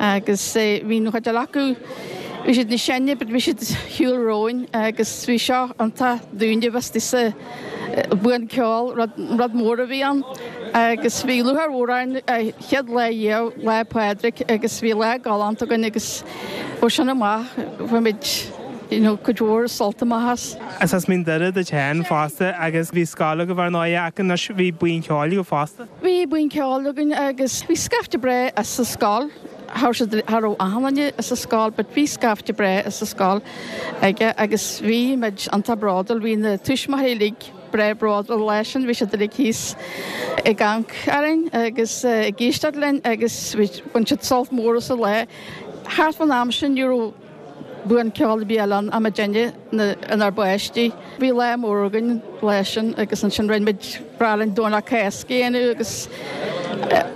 agus bhí an chuid eile acu, bhí siad níos sine but bhí siad ar shiúl romhainn agus bhí seo iontach dúinne a bheith istigh sa bhuíon ceoil, rud, rud mór a bhí ann agus bhí lúcháir mhór orainn an chéad lá riamh, Lá Pádraig agus bhí lá galánta againn agus ó sin amach bhain muid you know cuid mhór sult amach as. Is as Mín Doire duit féin fosta agus bhí scoil agaibh ar ndóigh ach anois bhí buíon cheoil agaibh fosta. Bhí buíon ceoil againn agus bhí scaifte breá as an scoil, cha raibh achan duine as an scoil but bhí scaifte breá as an scoil aige agus bhí muid iontach bródúil, bhí na tuismitheoirí uilig breá bródúil leis sin, bhí siad uilig thíos ag amharc orainn agus ag éisteacht linn agus bhain siad sult mór as an lá. Thart fán am sin ní raibh. Buíon ceoil ar bith eile ann ach muidinne inár bpáistí. Bhí lá mór againn an lá sin agus ansin rinne muid breá linn Domhnach Cásca a dhéanamh agus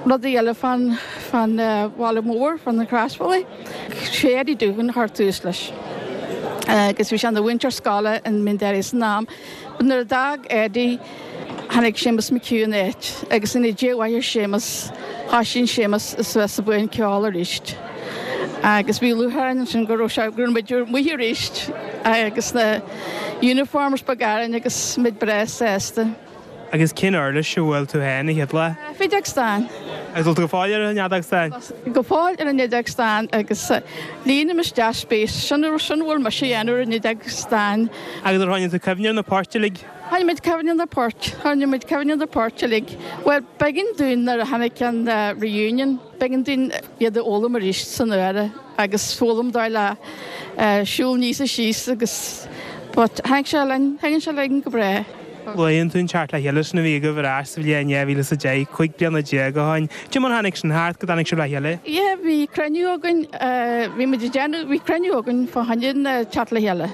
rudaí eile fán fán bhaile mór, fán an Chroisbhealaigh. Sé Eddie Doohan a chuir tús leis agus bhí sé ina mhúinteoir scoile in Mín Doire san am. But nuair a d'fhág Eddie Tháinig Séamus McHugh ina áit agus ina dhiaidh mhaith ar Séamus, thoisigh Séamus suas sa bhuíon ceoil arís agus bhí lúcháir orainn ansin go raibh sé, go raibh muid amuigh arís agus na uniforms beaga orainn agus muid breá sásta. Agus cén uirlis a bhuail tú féin an chéad lá? Feadóg stáin. Agus bhfuil tú go fóill ar an fheadóg stáin? Go fóill ar an fheadóg stáin agus líonaim isteach spéis, sin a bhfuil mise a dhéanamh ar an fheadóg stáin. Agus ar choinnigh tú cuimhne ar na poirt uilig? Choinnigh muid cuimhne ar na poirt, choinnigh muid cuimhne ar na poirt uilig. Bhuel, b'éigean dúinn nuair a tháinig an reunion, b'éigean dúinn iad a fhoghlaim arís san uaire agus foghlaim dóigh le siúl aníos is síos agus but tháinig sé linn, thagann sé linn go breá. Luann tú an teacht le chéile sin a bhí agaibh ar ais sa bhliain 2010, 15 bliana ó shin. Cad é mar tháinig sin thart, go dtáinig sibh le chéile? Yeah, bhí cruinniú againn, bhí muid ag déanamh, bhí cruinniú againn fá choinne an teacht le chéile.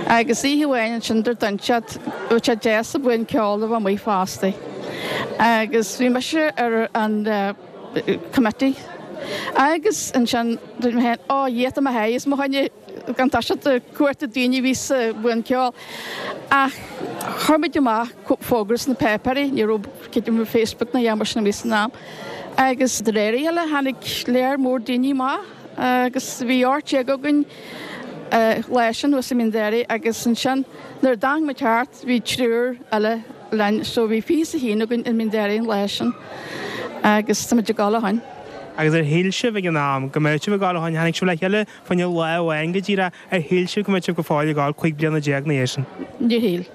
Agus oíche amháin ansin dúirt duine inteacht bheadh sé deas an buíon ceoil a bheith amuigh fosta. Agus bhí mise ar an committee. Agus ansin dúirt mé féin, ó Dhia tá mé th'éis mo choinne gan toiseacht ag cuartú daoine a bhí sa bhuíon ceoil. Ach chuir muid amach fógra sna páipéirí, ní raibh creidim Facebook ná aon mar sin amuigh san am. Agus de réir a chéile tháinig léar mór daoine amach agus bhí 18 againn lá sin thuas i Mín Doire agus ansin nuair a d'amharc muid thart bhí triúr eile linn so bhí 21 againn i Mín Doire an lá sin agus tá muid ag dul ó shin. Agus ar shíl sibh ag an am go mbeadh sibh ag dul ó shin, tháinig sibh le chéile fá choinne lá amháin go díreach, ar shíl sibh go mbeadh sibh go fóill ag dul 15 bliana ina dhiaidh sin? Níor shíl.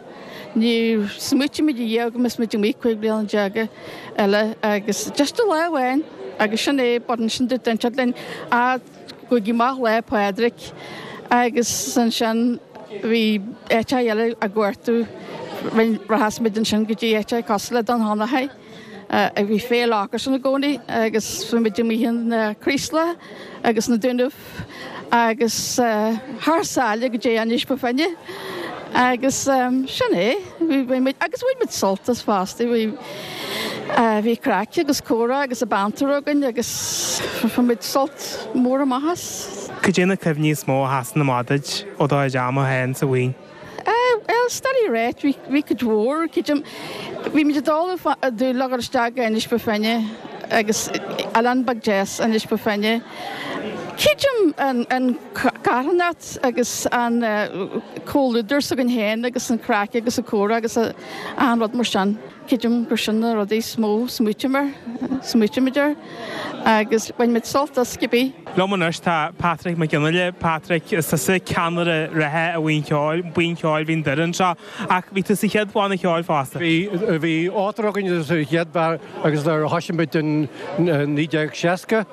Níor smaoitigh muid riamh go mbeadh muid amuigh 15 bliana eile agus just lá amháin agus sin é but ansin dúirt duine inteacht linn ah Gabhaigí amach Lá Pádraig agus ansin bhí áiteacha eile á gcuartú. Rachas muid ansin go dtí áiteacha cosúil le Dún Fionnachaidh. Bhí féile acusan i gcónaí agus bhí muid amuigh in Creeslough agus na Dúnaibh agus thar sáile go dtí Inis Bó Finne agus sin é. Bhí muid agus bhain muid sult as fosta. Bhí bhí craic agus comhrá agus a banter againn agus bhain muid sult mór amach as. Cad é na cuimhní is mó a sheasann amach duit ó do chuid ama féin sa bhuíon? Bhuel, is doiligh a ráit, bhí bhí cuid mhór, creidim, bhí muid ag dul ag dúil le dhul isteach go Inis Bó Finne agus oileán beag deas Inis Bó Finne. Creidim an an carthanacht agus an comhluadar s'againn féin agus an craic agus an comhrá agus achan rud mar sin. Creidim gur sin na rudaí is mó smaoitim air, smaoitímid air agus bhain muid sult as cibé. Liom anois tá Patrick Mac Fhionnghaile. Patrick, is tusa ceannaire reatha an bhuíon cheoil, Buíon Cheoil Mhín Doire anseo, ach bhí tú sa chéad bhanna cheoil fosta. Bhí, bhí ochtar againn sa chéad bhear agus nuair a thoisigh muid in 1960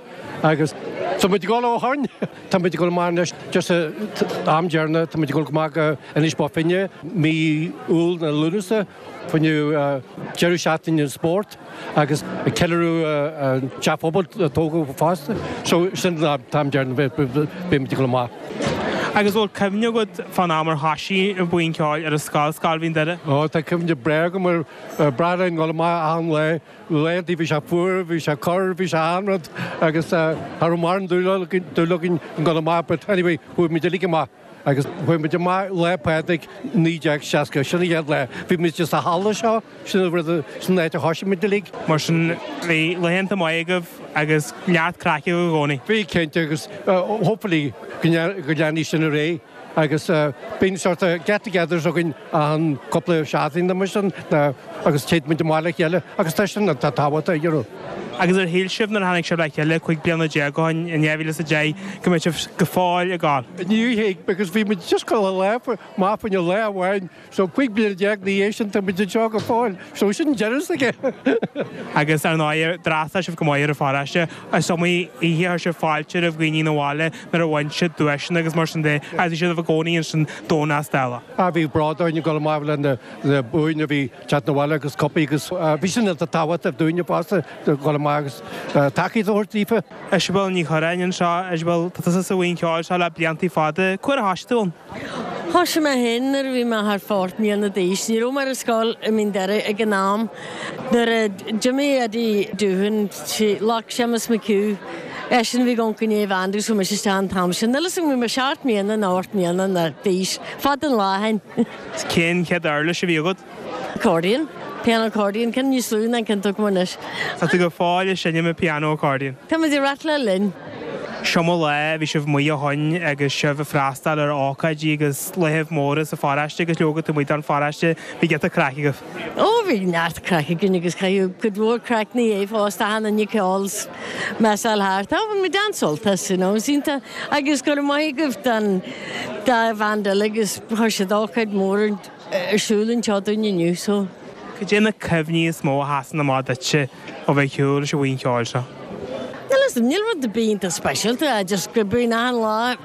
agus tá muid ag dul ó shoin, tá muid ag dul amach anois just am deireanach, tá muid ag dul amach go Inis Bó Finne mí Iúil nó Lúnasa. Fá choinne deireadh seachtaine an spórt agus ag ceiliúradh an teach phobail a tógadh fosta. So sin an t-am deireanach beidh muid ag dul amach. Agus bhfuil cuimhne agat fán am ar thoisigh an bhuíon cheoil ar an scoil, Scoil Mhín Doire? Ó tá cuimhne breá agam ar breá linn dul amach achan lá. Laethanta bhí sé fuar, bhí sé corr, bhí sé achan rud agus cha raibh mórán dúil againn dul amach but anyway chuaigh muid uilig amach. Agus chuaigh muid amach Lá Pádraig 1960, sin an chéad lá. Bhí muid sa halla seo, sin an rud, sin an áit a thoisigh muid uilig. Mar sin, bhí laethanta maithe agaibh agus neart craic agaibh i gcónaí. Bhí, cinnte, agus hopefully go leanfaidh sin ar aghaidh agus bíonn sort of get-togethers againn achan cúpla seachtain nó mar sin agus téann muid amach le chéile agus tá sin tá tábhachtach, you know. Agus ar shíl sibh nuair a tháinig sibh le chéile 15 bliana ó shin in 2010 go mbeadh sibh go fóill ag gabháil? Níor thuig because bhí muid just ag dul amach fá choinne lá amháin so 15 bliana ina dhiaidh sin tá muid anseo go fóill so sin deireadh s'aige. Agus ar ndóigh d'fhreastail sibh go maith ar an pharóiste. Is iomaí oíche a chuir sibh fáilte roimh dhaoine 'na bhaile nuair a bhain siad duaiseanna agus mar sin de agus bhí sibh i gcónaí ansin Domhnach Dála. Ah bhí bród orainn ag dul amach le na buain a bhí teacht 'na bhaile agus cupaí agus bhí sin iontach tábhachtach dúinne fosta dul amach agus tacaíocht a thabhairt daofa. Isabel Ní Churráin anseo. Isabel, tá tusa sa bhuíon cheoil seo le bliantaí fada. Cá huair a thoisigh tú ann? Thoisigh mé féin nuair a bhí mé thart fá ocht mbliana d'aois. Ní raibh mé ar an scoil i Mín Doire ag an am. Nuair a d'imigh Eddie Doohan, ghlac Séamus McHugh, eisean a bhí ag amharc i ndiaidh an bhanda agus chuaigh mise isteach an t-am sin. Níl a fhios agam, bhí mé seacht mbliana nó ocht mbliana d'aois. Fada an lá ó shin. Cén chéad uirlis a bhí agat? Accordion. Piano accordion. Ceann níos lú ná an ceann atá agam anois. Tá tú go fóill ag seinm an piano accordion. Tá muid ag rattláil linn. S'iomaí lá a bhí sibh amuigh ó shoin agus sibh ag freastal ar ócáidí agus laethibh móra sa pharóiste agus leoga taobh amuigh den pharóiste, bhí giota craic agaibh. Ó bhí neart craic againn agus caitheadh cuid mhór craic 'na dhiaidh fosta, achan duine ag ceol 's measáil thart. Á bhain muid an-sult as, you know, is iontach agus go raibh maith agaibh don dá bhand eile agus chuir siad ócáid mhór ar siúl anseo dúinn inniu so. Cad é na cuimhní is mó a sheasann amach duitse ó bheith ag siúl leis an bhuíon cheoil seo? Níl fhios agam, níl rud ar bith iontach speisialta, just go bíonn achan lá,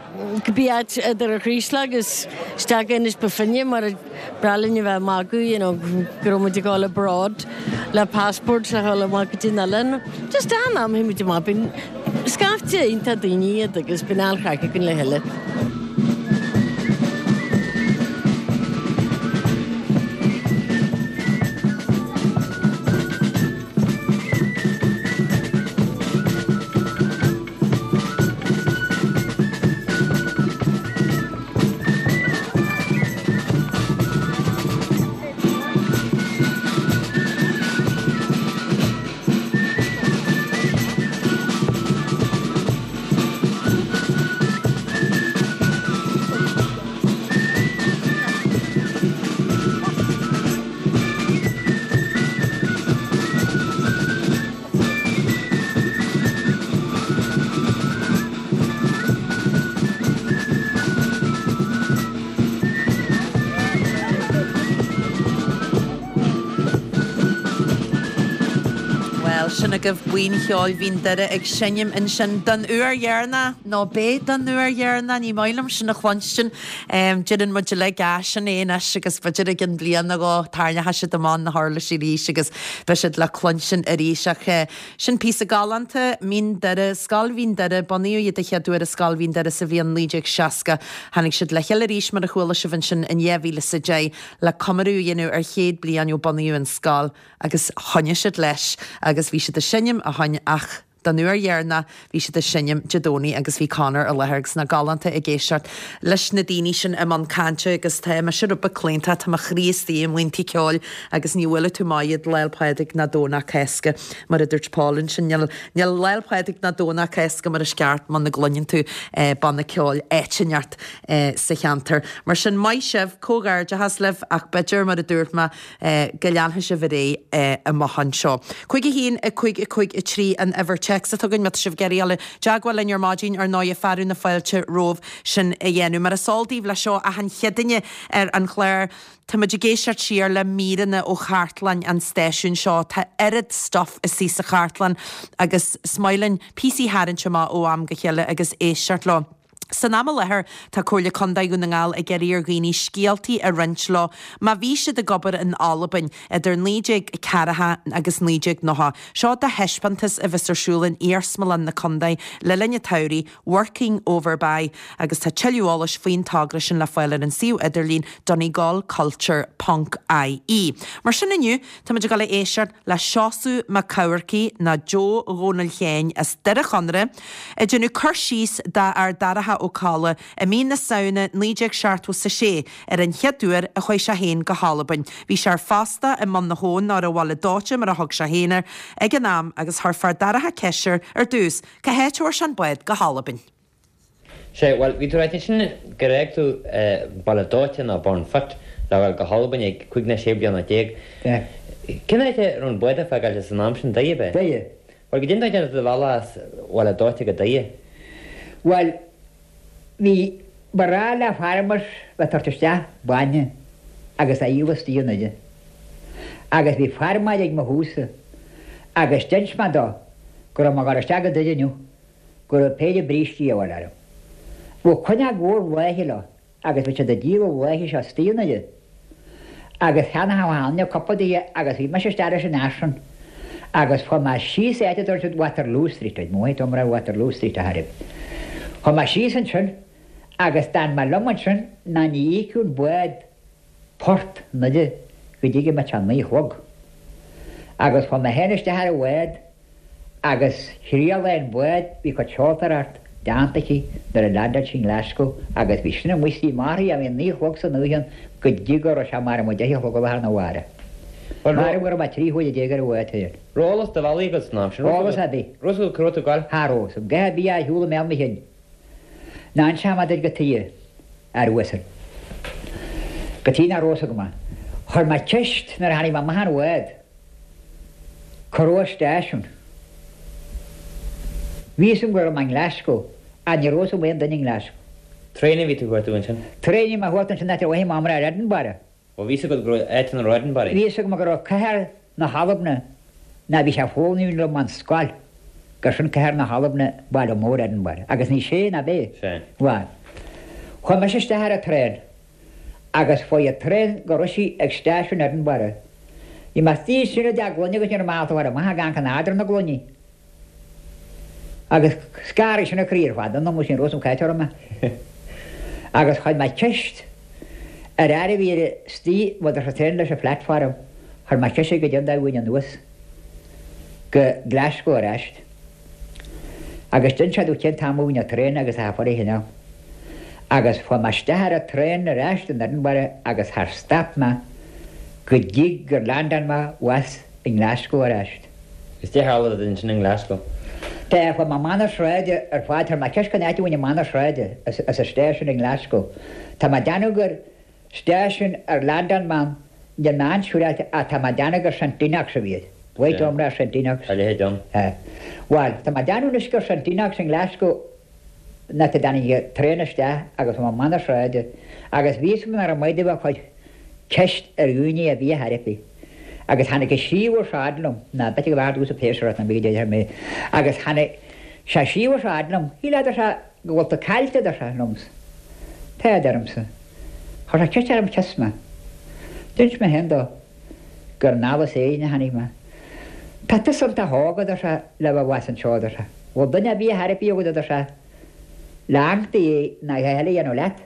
cibé áit idir an Chraoslach agus isteach go Inis Bó Finne mar ba bhreá linn a bheith ag magadh you know go raibh muid ag dul abroad le passport le dhul amach go dtí an oileán. Just achan am a théann muid amach bíonn scaifte iontach daoine iad agus bíonn an-chraic againn le chéile. Bhuel, sin agaibh Buíon Cheoil Mhín Doire ag seinm ansin don uair dheireanach, nó beidh don uair dheireanach, ní maith liom sin a chluinstin. Deireann muid uilig, ah, sin é anois agus b'fhéidir i gcionn bliain nó dhó tarraingeoidh siad amach na huirlisí arís agus beidh siad le cluinstin arís ach sin píosa galánta, Mín Doire, Scoil Mhín Doire, bunaíodh iad a chéad uair i Scoil Mhín Doire sa bhliain 1960. Tháinig siad le chéile arís mar a chuala sibh ansin in 2010 le comóradh a dhéanamh ar chéad bliain ó bunaíodh an scoil agus choinnigh siad leis agus bhí siad ag seinm ó shoin ach. Don uair dheireanach, bhí siad ag seinm Dé Domhnaigh agus bhí Conor i láthair agus nach galánta ag éisteacht leis na daoine sin i mbun cainte agus tá mise rud beag claonta, tá mo chroí istigh i mbuíontaí ceoil agus ní bhuailfidh tú amach iad Lá'l Pádraig ná Domhnach Cásca mar a dúirt Paul ansin. Níl níl Lá'l Pádraig ná Domhnach Cásca mar is ceart muna gcluineann tú banna ceoil áit inteacht sa cheantar. Mar sin maith sibh, comhghairdeachas libh ach b'fhéidir mar a dúirt mé, go leanfaidh sibh ar aghaidh amach anseo. 5 1 5 5 3 an uimhir téacs atá againn má tá sibh ag iarraidh dul i dteagmháil linn ar maidin, ar ndóighe fearadh na fáilte romhaibh sin a dhéanamh. Mar is eol daoibh leis seo achan Chéadaoine ar an chlár tá muid ag éisteacht siar le míreanna ó chartlann an stáisiúin seo. Tá oiread stuff istigh sa chartlann agus is maith linn píosaí a tharraingt amach ó am go chéile agus éisteacht leo. San am i láthair, tá Comhairle Contae Dhún na nGall ag iarraidh ar dhaoine scéaltaí a roinnt leo má bhí siad ag obair in Albain idir 1940 agus 1990. Seo do thaispeántas a bheas ar siúl in Iarsmalann na Contae le linn an tsamhraidh, Working Over By, agus tá tuilleadh eolais faoin togra sin le fáil ar an suíomh idirlín donegalculture ponc ie. Mar sin inniu, táimid ag dul a éisteacht le Seosamh Mac Eamharcaigh nó Joe Dhónaill Sheáin as Doire Chonaire, ag déanamh cur síos dá fhear Darach Ó Colla i mí na Samhna 1976 ar an chéad uair a chuaigh sé féin go hAlbain. Bhí sé ar fostú i mBun na hAbhann nó ar an Bhaile Dóite mar a thug sé féin air ag an am agus chuir fear Darach ceist air ar dtús cá háit a bhfuair sé an bád go hAlbain. Sea, bhuel, bhí tú ag ráit ansin gur fhág tú Baile Dóite nó Burnfoot le dhul go hAlbain ag cúig nó sé bliana déag. Cén áit a raibh an bád le fágáil san am sin, Doire, ab ea? Doire. Bhuel, goidé an dóigh a ndearna tú do bhealach as Baile Dóite go Doire? Bhuel, bhí, ba ghnách le farmers bheith ag tabhairt isteach bainne agus á dhíol istigh i nDoire. Agus bhí feirmeoir ag mo thabhsa agus d'inis mé dó go raibh mé ag dul isteach go Doire inniu. go raibh péire brístí a dhíobháil orm. Bheadh coinne mhór luaithe leo agus bhí siad ag díol an luaithe seo istigh i nDoire. Agus cheannaigh achan duine cúpla daoithe agus bhí mise isteach leis an fhear sin agus chuaigh mé síos áit a dtugann siad Waterloo Street, ar mhaith dom raibh Waterloo Street a thairfead. Chuaigh mé síos ansin agus d'fhan mé liom ansin ná ní íocfadh an bád port i nDoire go dtí go mbeadh sé a naoi a chlog. Agus chuaigh mé féin isteach ar an bhád Agus thriail an bád, bhí cuid seoltóireacht déanta aici nuair a leaindeáil sí i nGlasgow agus bhí sin amuigh istigh marthaí a bhí naoi a chlog san oíche ann go dtí go raibh sé maram deich a chlog an lá arna mhárach. Maram go raibh mé 13 huaire ar an bhád féin. Raibh eolas do bhealaigh agat san am sin? Eolas ar bith. Raibh fhios agat cá raibh tú ag gabháil? Cha raibh. A dhath ar bith ar shiúl i mbéal mo chinn. Ná inseoidh mé duit cad tuige, a fhear uasail. Cad tuige nach raibh fhios agam é. Chuir mé ceist nuair a tháinig mé amach an bhád. Cá raibh an stáisiún. Bhí fhios agam go raibh mé i nGlasgow, ach ní raibh fhios agam aon duine i nGlasgow. Traein a bhí tú a chuartú ansin? Traein a bhí mé a chuartú ansin áit a bhfaighinn m'amhrá ar Edinburgh. Ó bhí fhios agat go raibh áit ina raibh Edinburgh? Bhí fhios agam go raibh cathair na hAlbna, ná bhí sé foghlaim liom an scoil, gur sin cathair na hAlbna, baile mór Edinburgh. Agus ní sé, ná b'é? Sea. Bhuel, chuaigh mise isteach ar an traein. Agus fuair an traein go raibh sí ag stáisiún Edinburgh. Bhí mé istigh ansin i dteach gloine agus ní raibh mé ábalta a ghabháil amach ag amharc in eadar na gloiní. Agus scanraigh sin an croí ar fad ionam agus ní raibh fhios agam cá háit a raibh mé. Agus chuir mé ceist ar fhear a bhí ar istigh maidir sa traein leis an phlatform, chuir mé ceist air goidé an dóigh a bhfaighinn anuas go Glasgow ar ais. Agus d'inis sé domh cén t-am a bhí an traein agus a fuair a chineál. Agus chuaigh mé isteach ar an traein ar ais in Edinburgh agus char stop mé go dtí gur leaindeáil mé abhus i nGlasgow ar ais. Is cad é tharla duit ansin i nGlasgow. Tá, chuaigh mé amach na sráide ar fad, chuir mé ceist cén áit a bhfuil amach na sráide as an stáisiún i nGlasgow. Tá mé ag déanamh gur Stáisiún ar leaindeáil mé ann, níl mé an-siúráilte ach tá mé ag déanamh gur St Enoch's a bhí air. Mhaith dom rá St Enoch's. Tá a leithéid ann. Tá. Bhuel, tá mé ag déanamh anois gur St Enoch's i nGlasgow an áit a dtáinig an traein isteach agus bhí mé amach na sráide agus bhí fhios agam nár mhaith domh a chur ceist ar dhaoine ar bith ar bith. Agus tháinig an scríobhadh seo fhad liom, ná b'fhéidir go bhfearr domhsa péisearach ná b'fhéidir go mé, agus tháinig sé scríobhadh seo fhad liom, shíl a deir sé, go bhfuil tú caillte, a deir sé liomsa. Tá, a deirimse. Chuir sé ceist orm cio's mé. D'inis mé féin dó gur anall as Éirinn a tháinig mé. Tá tusa iontach óg, a deir sé, le bheith abhus anseo, a deir sé. Bhfuil duine ar bith ar bith agat, a deir sé, le amharc do dhiaidh ná a dhath eile a dhéanamh leat?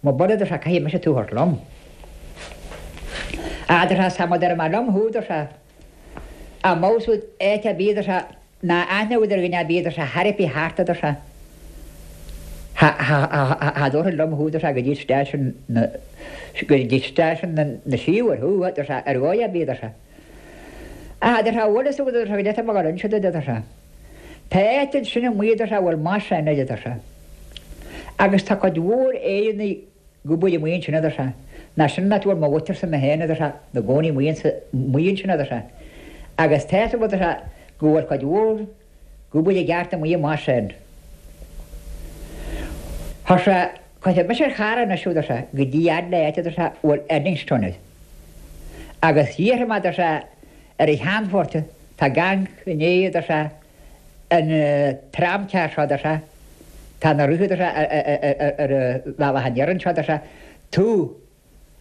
Má b'fhada, a deir sé, caithfidh mise tú a thabhairt liom. A deir sé, tá mé, déarfaidh mé liom thú, a deir sé, amach as áit ar bith, a deir sé. Ná aithne agat ar dhuine ar bith, a deir sé, char bith thart, a deir sé. Cha, cha, cha, cha dtabharfainn liom thú, a deir sé, go dtí stáisiún na, go dtí stáisiún na, na siabhair thú, a deir sé, ar dhóigh ar bith, a deir sé. Ach, a deir sé, bhfuil fhios agat, a deir sé, goidé tá mé ag dul a inse duit, a deir sé. Tá áit ansin amuigh, a deir sé, a bhfuil Moss End air, a deir sé. Agus tá cuid mhór Éireannaigh ag obair amuigh ansin, a deir sé. Ná sin an áit a bhfuil mo mhuintirse mé féin, a deir sé, 'na gcónaí amuigh ansa, amuigh ansin, a deir sé. Agus tá fhios agat, a deir sé, go bhfuil cuid mhór ag obair i gceart amuigh i Moss End. Chuir sé, cuirfidh mise ar charr anois thú, a deir sé, go dtí fhad le áit, a deir sé, a bhfuil Eddingstone air. Agus iarrfaidh mé, a deir sé, ar an cheannfort, tá ag amharc i ndiaidh, a deir sé, an tramcar seo, a deir sé, tá ina rith, a deir sé, ar an bhealach aniar anseo, a deir sé, tú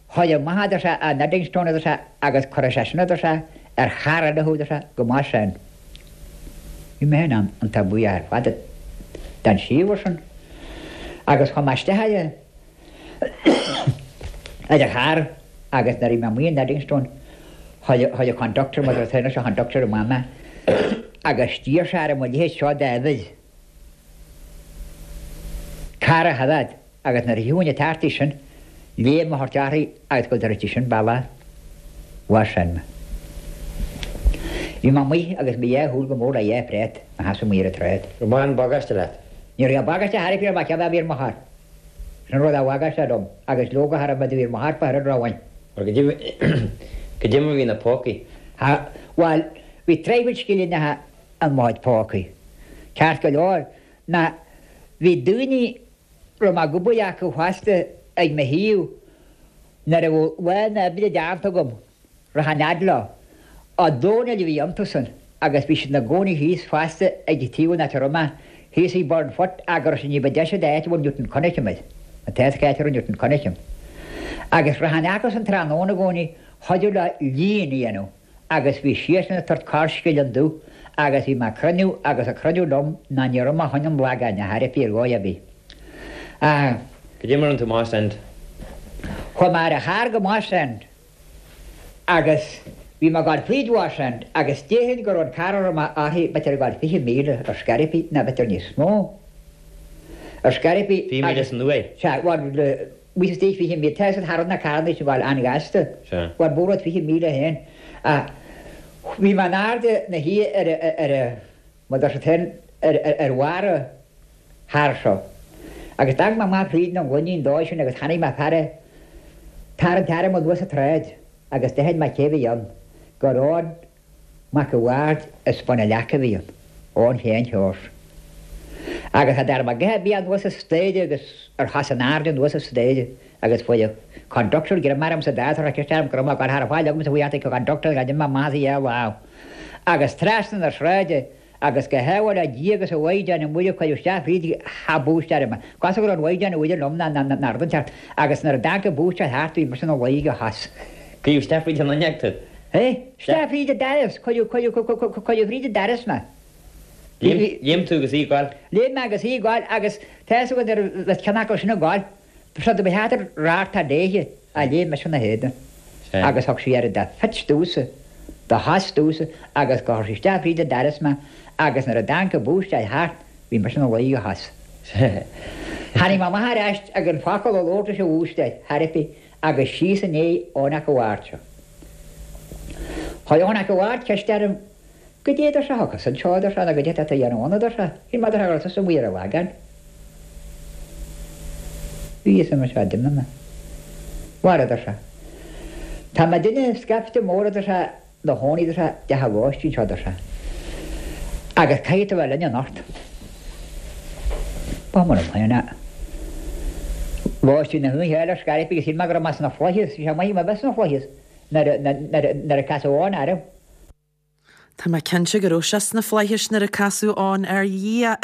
a chur amach, a deir sé, in Eddingstone, a deir sé, agus cuirfidh sé sin, a deir sé, ar charr eile thú, a deir sé, go Moss End. Bhí mé féin iontach buíoch ar fad den síobhar sin agus chuaigh mé isteach ar an ar an charr agus nuair a bhí mé amuigh in Eddingstone chuir an conductor, mar atá anois, an conductor amach mé agus d'iarr sé orm mo leithéid seo d'uimhir carr a choimhéad agus nuair a thiocfainn ag teacht sin léim a thabhairt uirthi agus go dtabharfaí sin bealach Mhoss End mé. Bhí mé amuigh agus mo dhá shúil go mór le dhá phréat mo sheasamh amuigh ar an tsráid. Raibh mórán bagáiste leat? Ní raibh bagáiste thar a bheith ar mo bhí ar mo charr. Sin an rud a bhagáiste liom agus leoga cha raibh mé do bhí ar mo charr fa oiread romhainn. Mar goidé mar bhí na pócaí. Ha, bhuel, bhí traidhfil scillinneacha in mo chuid pócaí. Ceart go leor, ná bhí daoine raibh mé ag obair acu fosta ag mo thaobh nuair a bheadh lá na oibre déanta agam. Rachainn fhad leo. Ó Dónaill a bhí iontusan agus bhí siad 'na gcónaí thíos fosta ag taobh an áit a raibh mé, thíos ag Burnfoot ach go raibh siad ní ba deise d'áit a bhfuil Newton Cunningham air, an t-áit a raibh Newton Cunningham. Agus rachainn acusan tráthnóna i gcónaí chuidiú leo líon a dhéanamh agus bhí siadsan ag tabhairt corrscilling domh agus bhí mé ag cruinniú agus ag cruinniú liom ná ní raibh mé chun an lagáin a thairfí ar dhóigh ar bith. Ach. Goidé mar a rinne tú Moss End? Chuaigh mé ar an charr go Moss End. Agus bhí mé ag gabháil fríd Mhoss End agus déarfainn go raibh an carr a raibh mé uirthi b'fhéidir ag gabháil 20 míle ar scor ar bith nó b'fhéidir níos mó ar scor ar bith 20 míle san uair? Sea, bhuel, bhí istigh 20 míle, tá a fhios agat cha raibh na carranna sin ag gabháil an-ghasta. Sea. Bhuel, b'fhéidir 20 míle féin. Ach bhí mé in airde 'na shuí ar, ar, mar a deir siad féin, ar, ar bharr an chairr seo. Agus d'amharc mé amach fríd an ghloinín dóigh sin agus chonaic mé fear ag tarraingt airm anuas an tsráid agus d'aithin mé cé bhí ann, gur Eoin Mac a' Bhaird as Bun a' Leaca a bhí ann, Eoin Sheáin Sheoirse. Agus cha dtearn mé a dhath ar bith anuas an staighre agus ar chos in airde anuas an staighre agus fuair an conductor greim orm sa dá chuir sé ceist orm go raibh mé ag gabháil cha raibh faill agamsa faoi ach an conductor a d'imigh amach as a dhá lámh agus trasna na sráide Agus go hádhmhail le Dia agus an Mhaighdean Mhuire cuireadh isteach fríd cha búistéir mé. Cosúil go raibh an Mhaighdean Mhuire liom ná ná rud inteacht. Agus nuair a d'amharc an búistéir thart bhí mise ina luí go thus. Cuireadh isteach fríd an fhuinneog tú? Hé? Isteach fríd an doras. Cuireadh, cuireadh, cuireadh fríd an doras mé. Léim tú agus í ag gabháil? Léim mé agus í ag gabháil agus tá fhios agat nuair a bheas ceann acu sin ag gabháil. Seo do bheatha radharc léithe a léim mise ina héadan agus thug sí air de phitch domhsa, de shos domhsa agus gur chuir sí isteach fríd an doras mé agus nuair a d'amharc an búistéir thart bhí mise ina luí go thus. Tháinig mé amach ar ais gan focal a labhairt leis an bhúistéir, thar ar bith, agus síos i ndiaidh Eoin 'Ac a' Bhaird seo. Chuir Eoin 'Ac a' Bhaird ceist orm, Goidé a deir sé a thiocfas anseo, a deir sé, nó goidé atá tú a dhéanamh ann, a deir sé. Shíl mé, a deir sé, go raibh tusa amuigh ar an Lagán. Bhí, arsa mise, d'imigh mé. Mhara, a deir sé. Tá muidinne scaifte mór, a deir sé, 'na chónaí, a deir sé, i dteach an lóistín seo, a deir sé. Agus caithfidh tú a bheith linn anocht. Ba chuma liom féin é. Lóistín na hoíche eile ar scor ar bith agus shíl mé go raibh mé sna flaithis, bhí sé maith agam a bheith sna flaithis nuair a casadh Eoin orm. Tá mé cinnte go raibh sé sna flaithis nuair a casadh Eoin air. Dhia!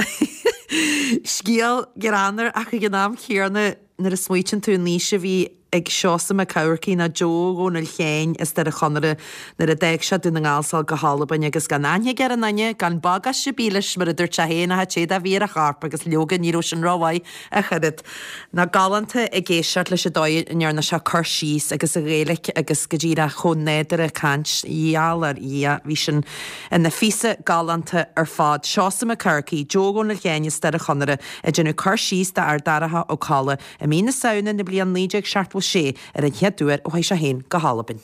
Scéal greannmhar ach ag an am céanna nuair a smaoitíonn tú an aois a bhí. ag Seosamh Mac Eamharcaigh nó Joe Dhónaill Sheáin as Doire Chonaire nuair a d'fhág sé Dún na nGall 's a dhul go hAlbain agus gan aithne aige ar aon duine, gan bagáiste ar bith leis mar a dúirt sé féin ach an téad a bhí ar a chorp agus leoga ní raibh sin rómhaith ach oiread. Ná galánta ag éisteacht leis an dóigh a ndearna sé cur síos agus a Ghaeilic agus go díreach chomh nádúrtha ag caint, gheall ar Dhia, bhí sin ina phíosa galánta ar fad. Seosamh Mac Eamharcaigh, Joe Dhónaill Sheáin as Doire Chonaire ag déanamh cur síos d'fhear Darach Ó Colla i mí na Samhna na bliana 1976 ar an chéad uair a chuaigh sé féin go hAlbain.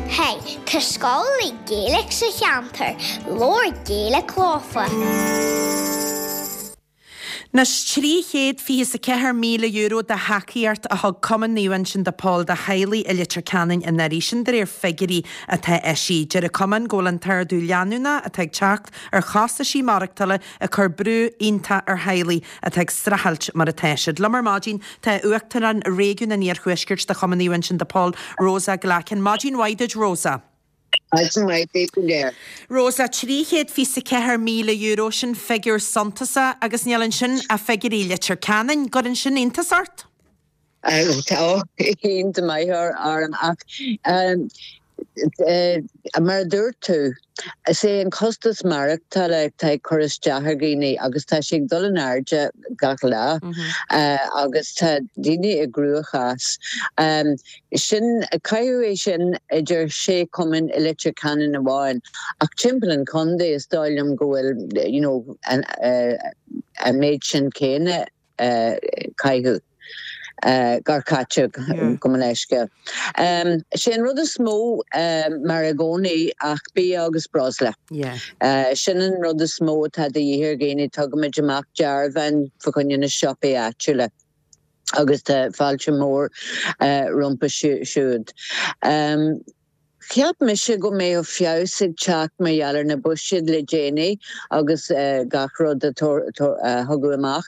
Hey, tá scoil le Gaeilge sa cheantar, labhair Gaeilge leofa! Anois, €324,000 de thacaíocht a thug Cumann Naomh Uinseann de Pól do theaghlaigh i Leitir Ceanainn anuraidh, sin de réir figiúirí atá eisithe. Deir an Cumann go bhfuil an t-ardú leanúnach atá ag teacht ar chostaisí maireachtála ag cur brú iontach ar theaghlaigh atá ag streachailt mar atá siad. Liom ar maidin tá Uachtarán Réigiún an Iarthuaiscirt de Chumann Naomh Uinseann de Pól, Rosa Glackin. Maidin mhaith duit, Rosa. Maidin mhaith daoibh go léir. Rosa, €324,000, sin figiúr suntasach agus níl ansin ach figiúirí Leitir Ceanainn. Gcuireann sin iontas ort? Tá iontas maith orm ach mar a dúirt tú, is é an costas maireachtála atá ag cur isteach ar dhaoine agus tá sé ag dul in airde gach lá agus tá daoine i gcruachás. Sin, caitheadh é sin idir sé chumann i Leitir Ceanainn amháin ach timpeall an chontae is dóigh liom go bhfuil you know an méid sin céanna caitheadh gur caite gabh mo leithscéal. Sé an rud is mó mar i gcónaí ach bia agus breosla. Sin an rud is mó atá de dhíth ar dhaoine. Tugaimid amach dearbháin fa choinne na siopaí áitiúla agus tá fáilte mór rompu siúd. Cheap mise go mbeadh feabhas ag teacht mar gheall ar na buiséid le déanaí agus gach rud a tugadh amach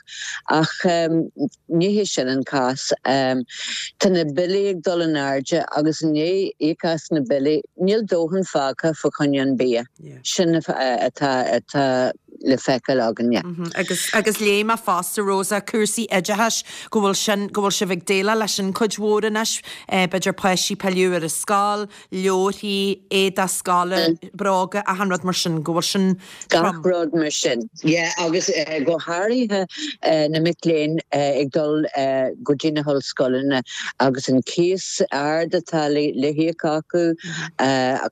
ach ní hé sin an cás. Tá na billí ag dul in airde agus i ndiaidh íoc as na billí níl dóthain fágtha fa choinne an bia. Sin atá le feiceáil againne. Agus agus léigh mé fosta, Rosa, cúrsaí oideachais, go bhfuil sin, go bhfuil sibh ag déileáil leis sin cuid mhór anois, b'fhéidir páistí pilleadh ar an scoil, leabharthaí, éadach scoile, bróga, achan rud mar sin, go bhfuil sin trom. Gach rud mar sin, yeah, agus go háirithe na mic léinn ag dul go dtí na hollscoileanna agus an cíos ard atá le híoc acu,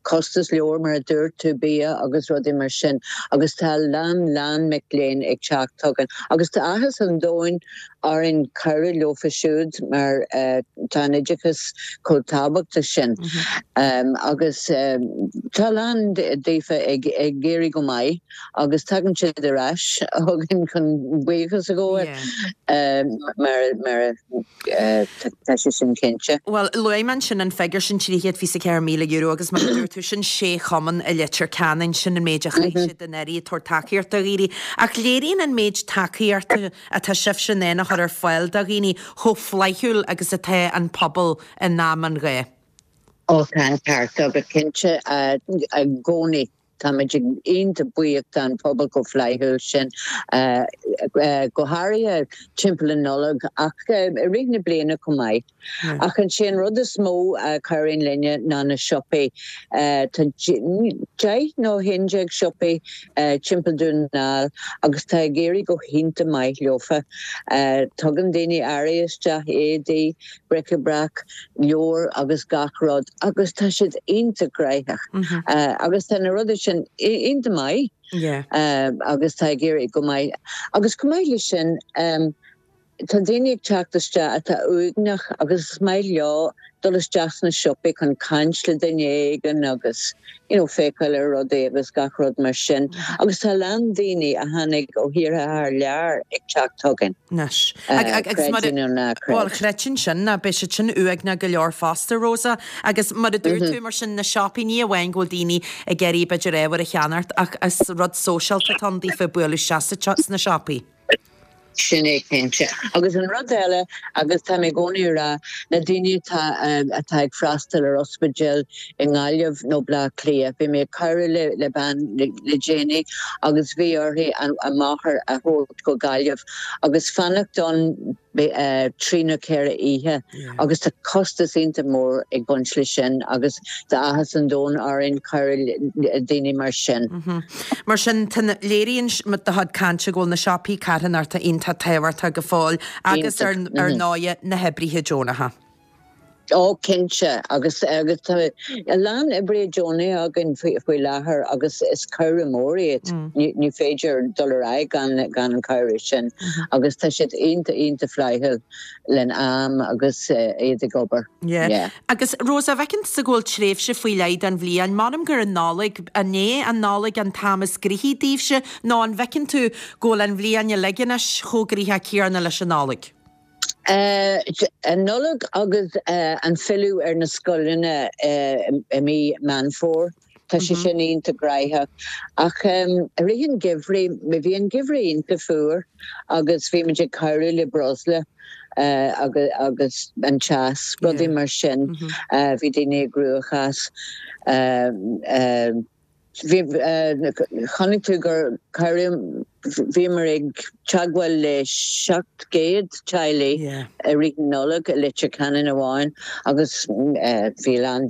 costas leabhar mar a dúirt tú, bia agus rudaí mar sin agus tá a lán, lán mic léinn ag teacht chugainn agus tá áthas an domhain orainn cabhrú leofa siúd mar tá an oideachas chomh tábhachtach sin agus tá a lán daofa ag éirí go maith agus tagann siad ar ais chugainn chun buíochas a ghabháil mar Tá sé sin cinnte. Bhuel, luaigh mé ansin an figiúr sin, €324,000 agus mar a dúirt tú, sin sé chumann i Leitir Ceanainn, sin an méid a chaith siad anuraidh ag tabhairt tacaíocht do dhaoine. Ach léiríonn an méid tacaíochta atá sibhse in ann a chur ar fáil do dhaoine chomh flaithiúil agus atá an pobal in am an gháth. Ó, tá an ceart agat, cinnte, i gcónaí. Táimid iontach buíoch don phobal chomh flaithiúil sin, go háirithe timpeall na Nollag ach i rith na bliana chomh maith. Ach is é an rud is mó a chabhraíonn linne ná na siopaí. Tá 10 nó 11 siopaí timpeall Dún na nGall agus tá ag éirí go hiontach maith leofa. Tugann daoine earraí isteach, éadaí, bric-a-brac, leabhair agus gach rud agus tá siad iontach gnoitheach agus tá na rudaí sin iontach maith agus tá ag éirí go maith. Agus chomh maith leis sin tá daoine ag teacht isteach atá uaigneach agus is maith leo dul isteach sna siopaí chun caint le duine éigin agus you know féacháil ar rudaí agus gach rud mar sin agus tá a lán daoine a tháinig ó thíortha thar lear ag teacht chugainn. Anois. Agus mar a, Creid é nó ná creid. bhuel, chreidfinn sin, ná beidh siad sin uaigneach go leor fosta, Rosa. Agus mar a dúirt tú, mar sin, na siopaí, ní amháin go bhfuil daoine ag iarraidh b'fhéidir ábhar a cheannacht ach is rud sóisialta atá ann daofa bualadh isteach sna siopaí. Sin é cinnte. Agus an rud eile, agus tá mé i gcónaí ag rá, na daoine atá atá ag freastal ar ospidéal i nGaillimh nó Bleá Cliath, bhí mé ag cabhrú le le bean le déanaí agus bhí uirthi a máthair a thabhairt go Gaillimh agus fanacht ann 3 nó 4 oíche agus tá costas iontach mór ag baint leis sin agus tá áthas an domhain orainn cabhrú le daoine mar sin. Mar sin, tá na, léiríonn do chuid cainte go bhfuil na siopaí carthanachta iontach tábhachtach go fóill agus ar ar ndóighe na hoibrithe deonacha. Ó, cinnte, agus agus tá a lán oibrithe deonacha againn faoi faoi láthair agus is cabhrú mór iad. Ní ní féidir dul ar aghaidh gan gan an cabhrú sin agus tá siad iontach iontach flaithiúil len am agus iad ag obair. Yeah. Yeah. Agus Rosa, bhfeiceann tusa go bhfuil tréimhse faoi leith den bhliain, m'anam gur an Nollaig, an é an Nollaig an t-am is gnoithí daoibhse nó an bhfeiceann tú go bhfuil an bhliain uilig anois chomh gnoitheach céanna leis an Nollaig? An Nollaig agus an filleadh ar na scoileanna i mí Meán Fómhair, tá sé sin iontach gnaitheach. Ach i rith an gheimhridh, bhí an geimhreadh iontach fuar agus bhí muid ag cabhrú le breosla agus an teas, rudaí mar sin. Bhí daoine i gcruachás. Bhí, chonaic tú gur cabhraíodh, bhíomar ag teagmháil le 700 teaghlaigh i rith na Nollag i Leitir Ceanainn amháin agus bhí a lán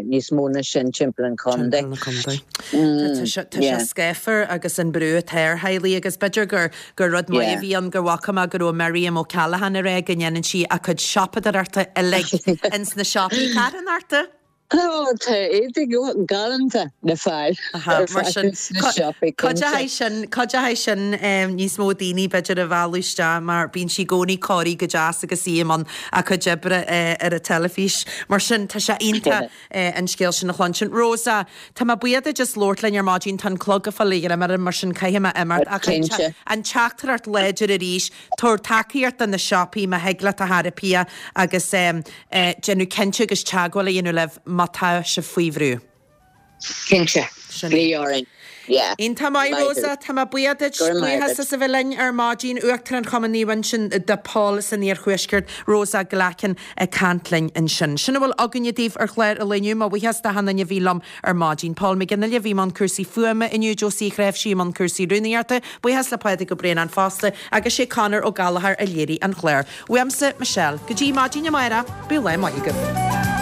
níos mó ná sin timpeall an chontae. Timpeall an chontae. Tá sé, tá sé scáfar agus an brú atá ar theaghlaigh agus b'fhéidir gur, gur rud maith a bhí ann go bhfaca mé go raibh Miriam O'Callaghan ag rá go ndéanann sí a cuid siopadóireachta uilig ins na siopaí carthanachta. Ó, tá éadaí galánta le fáil ar fad sna siopaí, cinnte. Sin, cuideoidh sin níos mó daoine b'fhéidir a mhealladh isteach mar bíonn sí i gcónaí cóirithe go deas agus í i mbun a cuid oibre ar an teilifís. Mar sin, tá sé iontach an scéal sin a chluinstin. Rosa, tá mé buíoch duit as labhairt linn ar maidin, tá an clog ag fáil a ghreim orm mar sin caithfidh mé imeacht ach an teachtaireacht láidir arís, tabhair tacaíocht do na siopaí má thig leat a chara Pia agus déanamh cinnte agus teagmháil a dhéanamh libh má tá sibh faoi bhrú. Cinnte. Sin é. Glaoigh orainn. Yeah. Iontach maith, Maith thú. Rosa. Tá mé buíoch duit. Go raibh maith Buíochas agat. as a bheith linn ar maidin. Uachtarán Chumann Naomh Uinseann de Pól san Iarthuaisceart, Rosa Glackin ag caint linn ansin. Sin a bhfuil againne daoibh ar chlár an lae inniu. Mo bhuíochas d'achan duine a bhí liom ar maidin. Paul McGinley a bhí i mbun cúrsaí fuaime inniu, Josie Uí Chnáimhsí i mbun cúrsaí rúnaíochta, buíochas le Pádraig Ó Braonáin fosta, agus sé Conor Ó Gallchóir a léirigh an clár. Uaimse, Michelle. Go dtí maidin amárach, bíodh lá maith agaibh.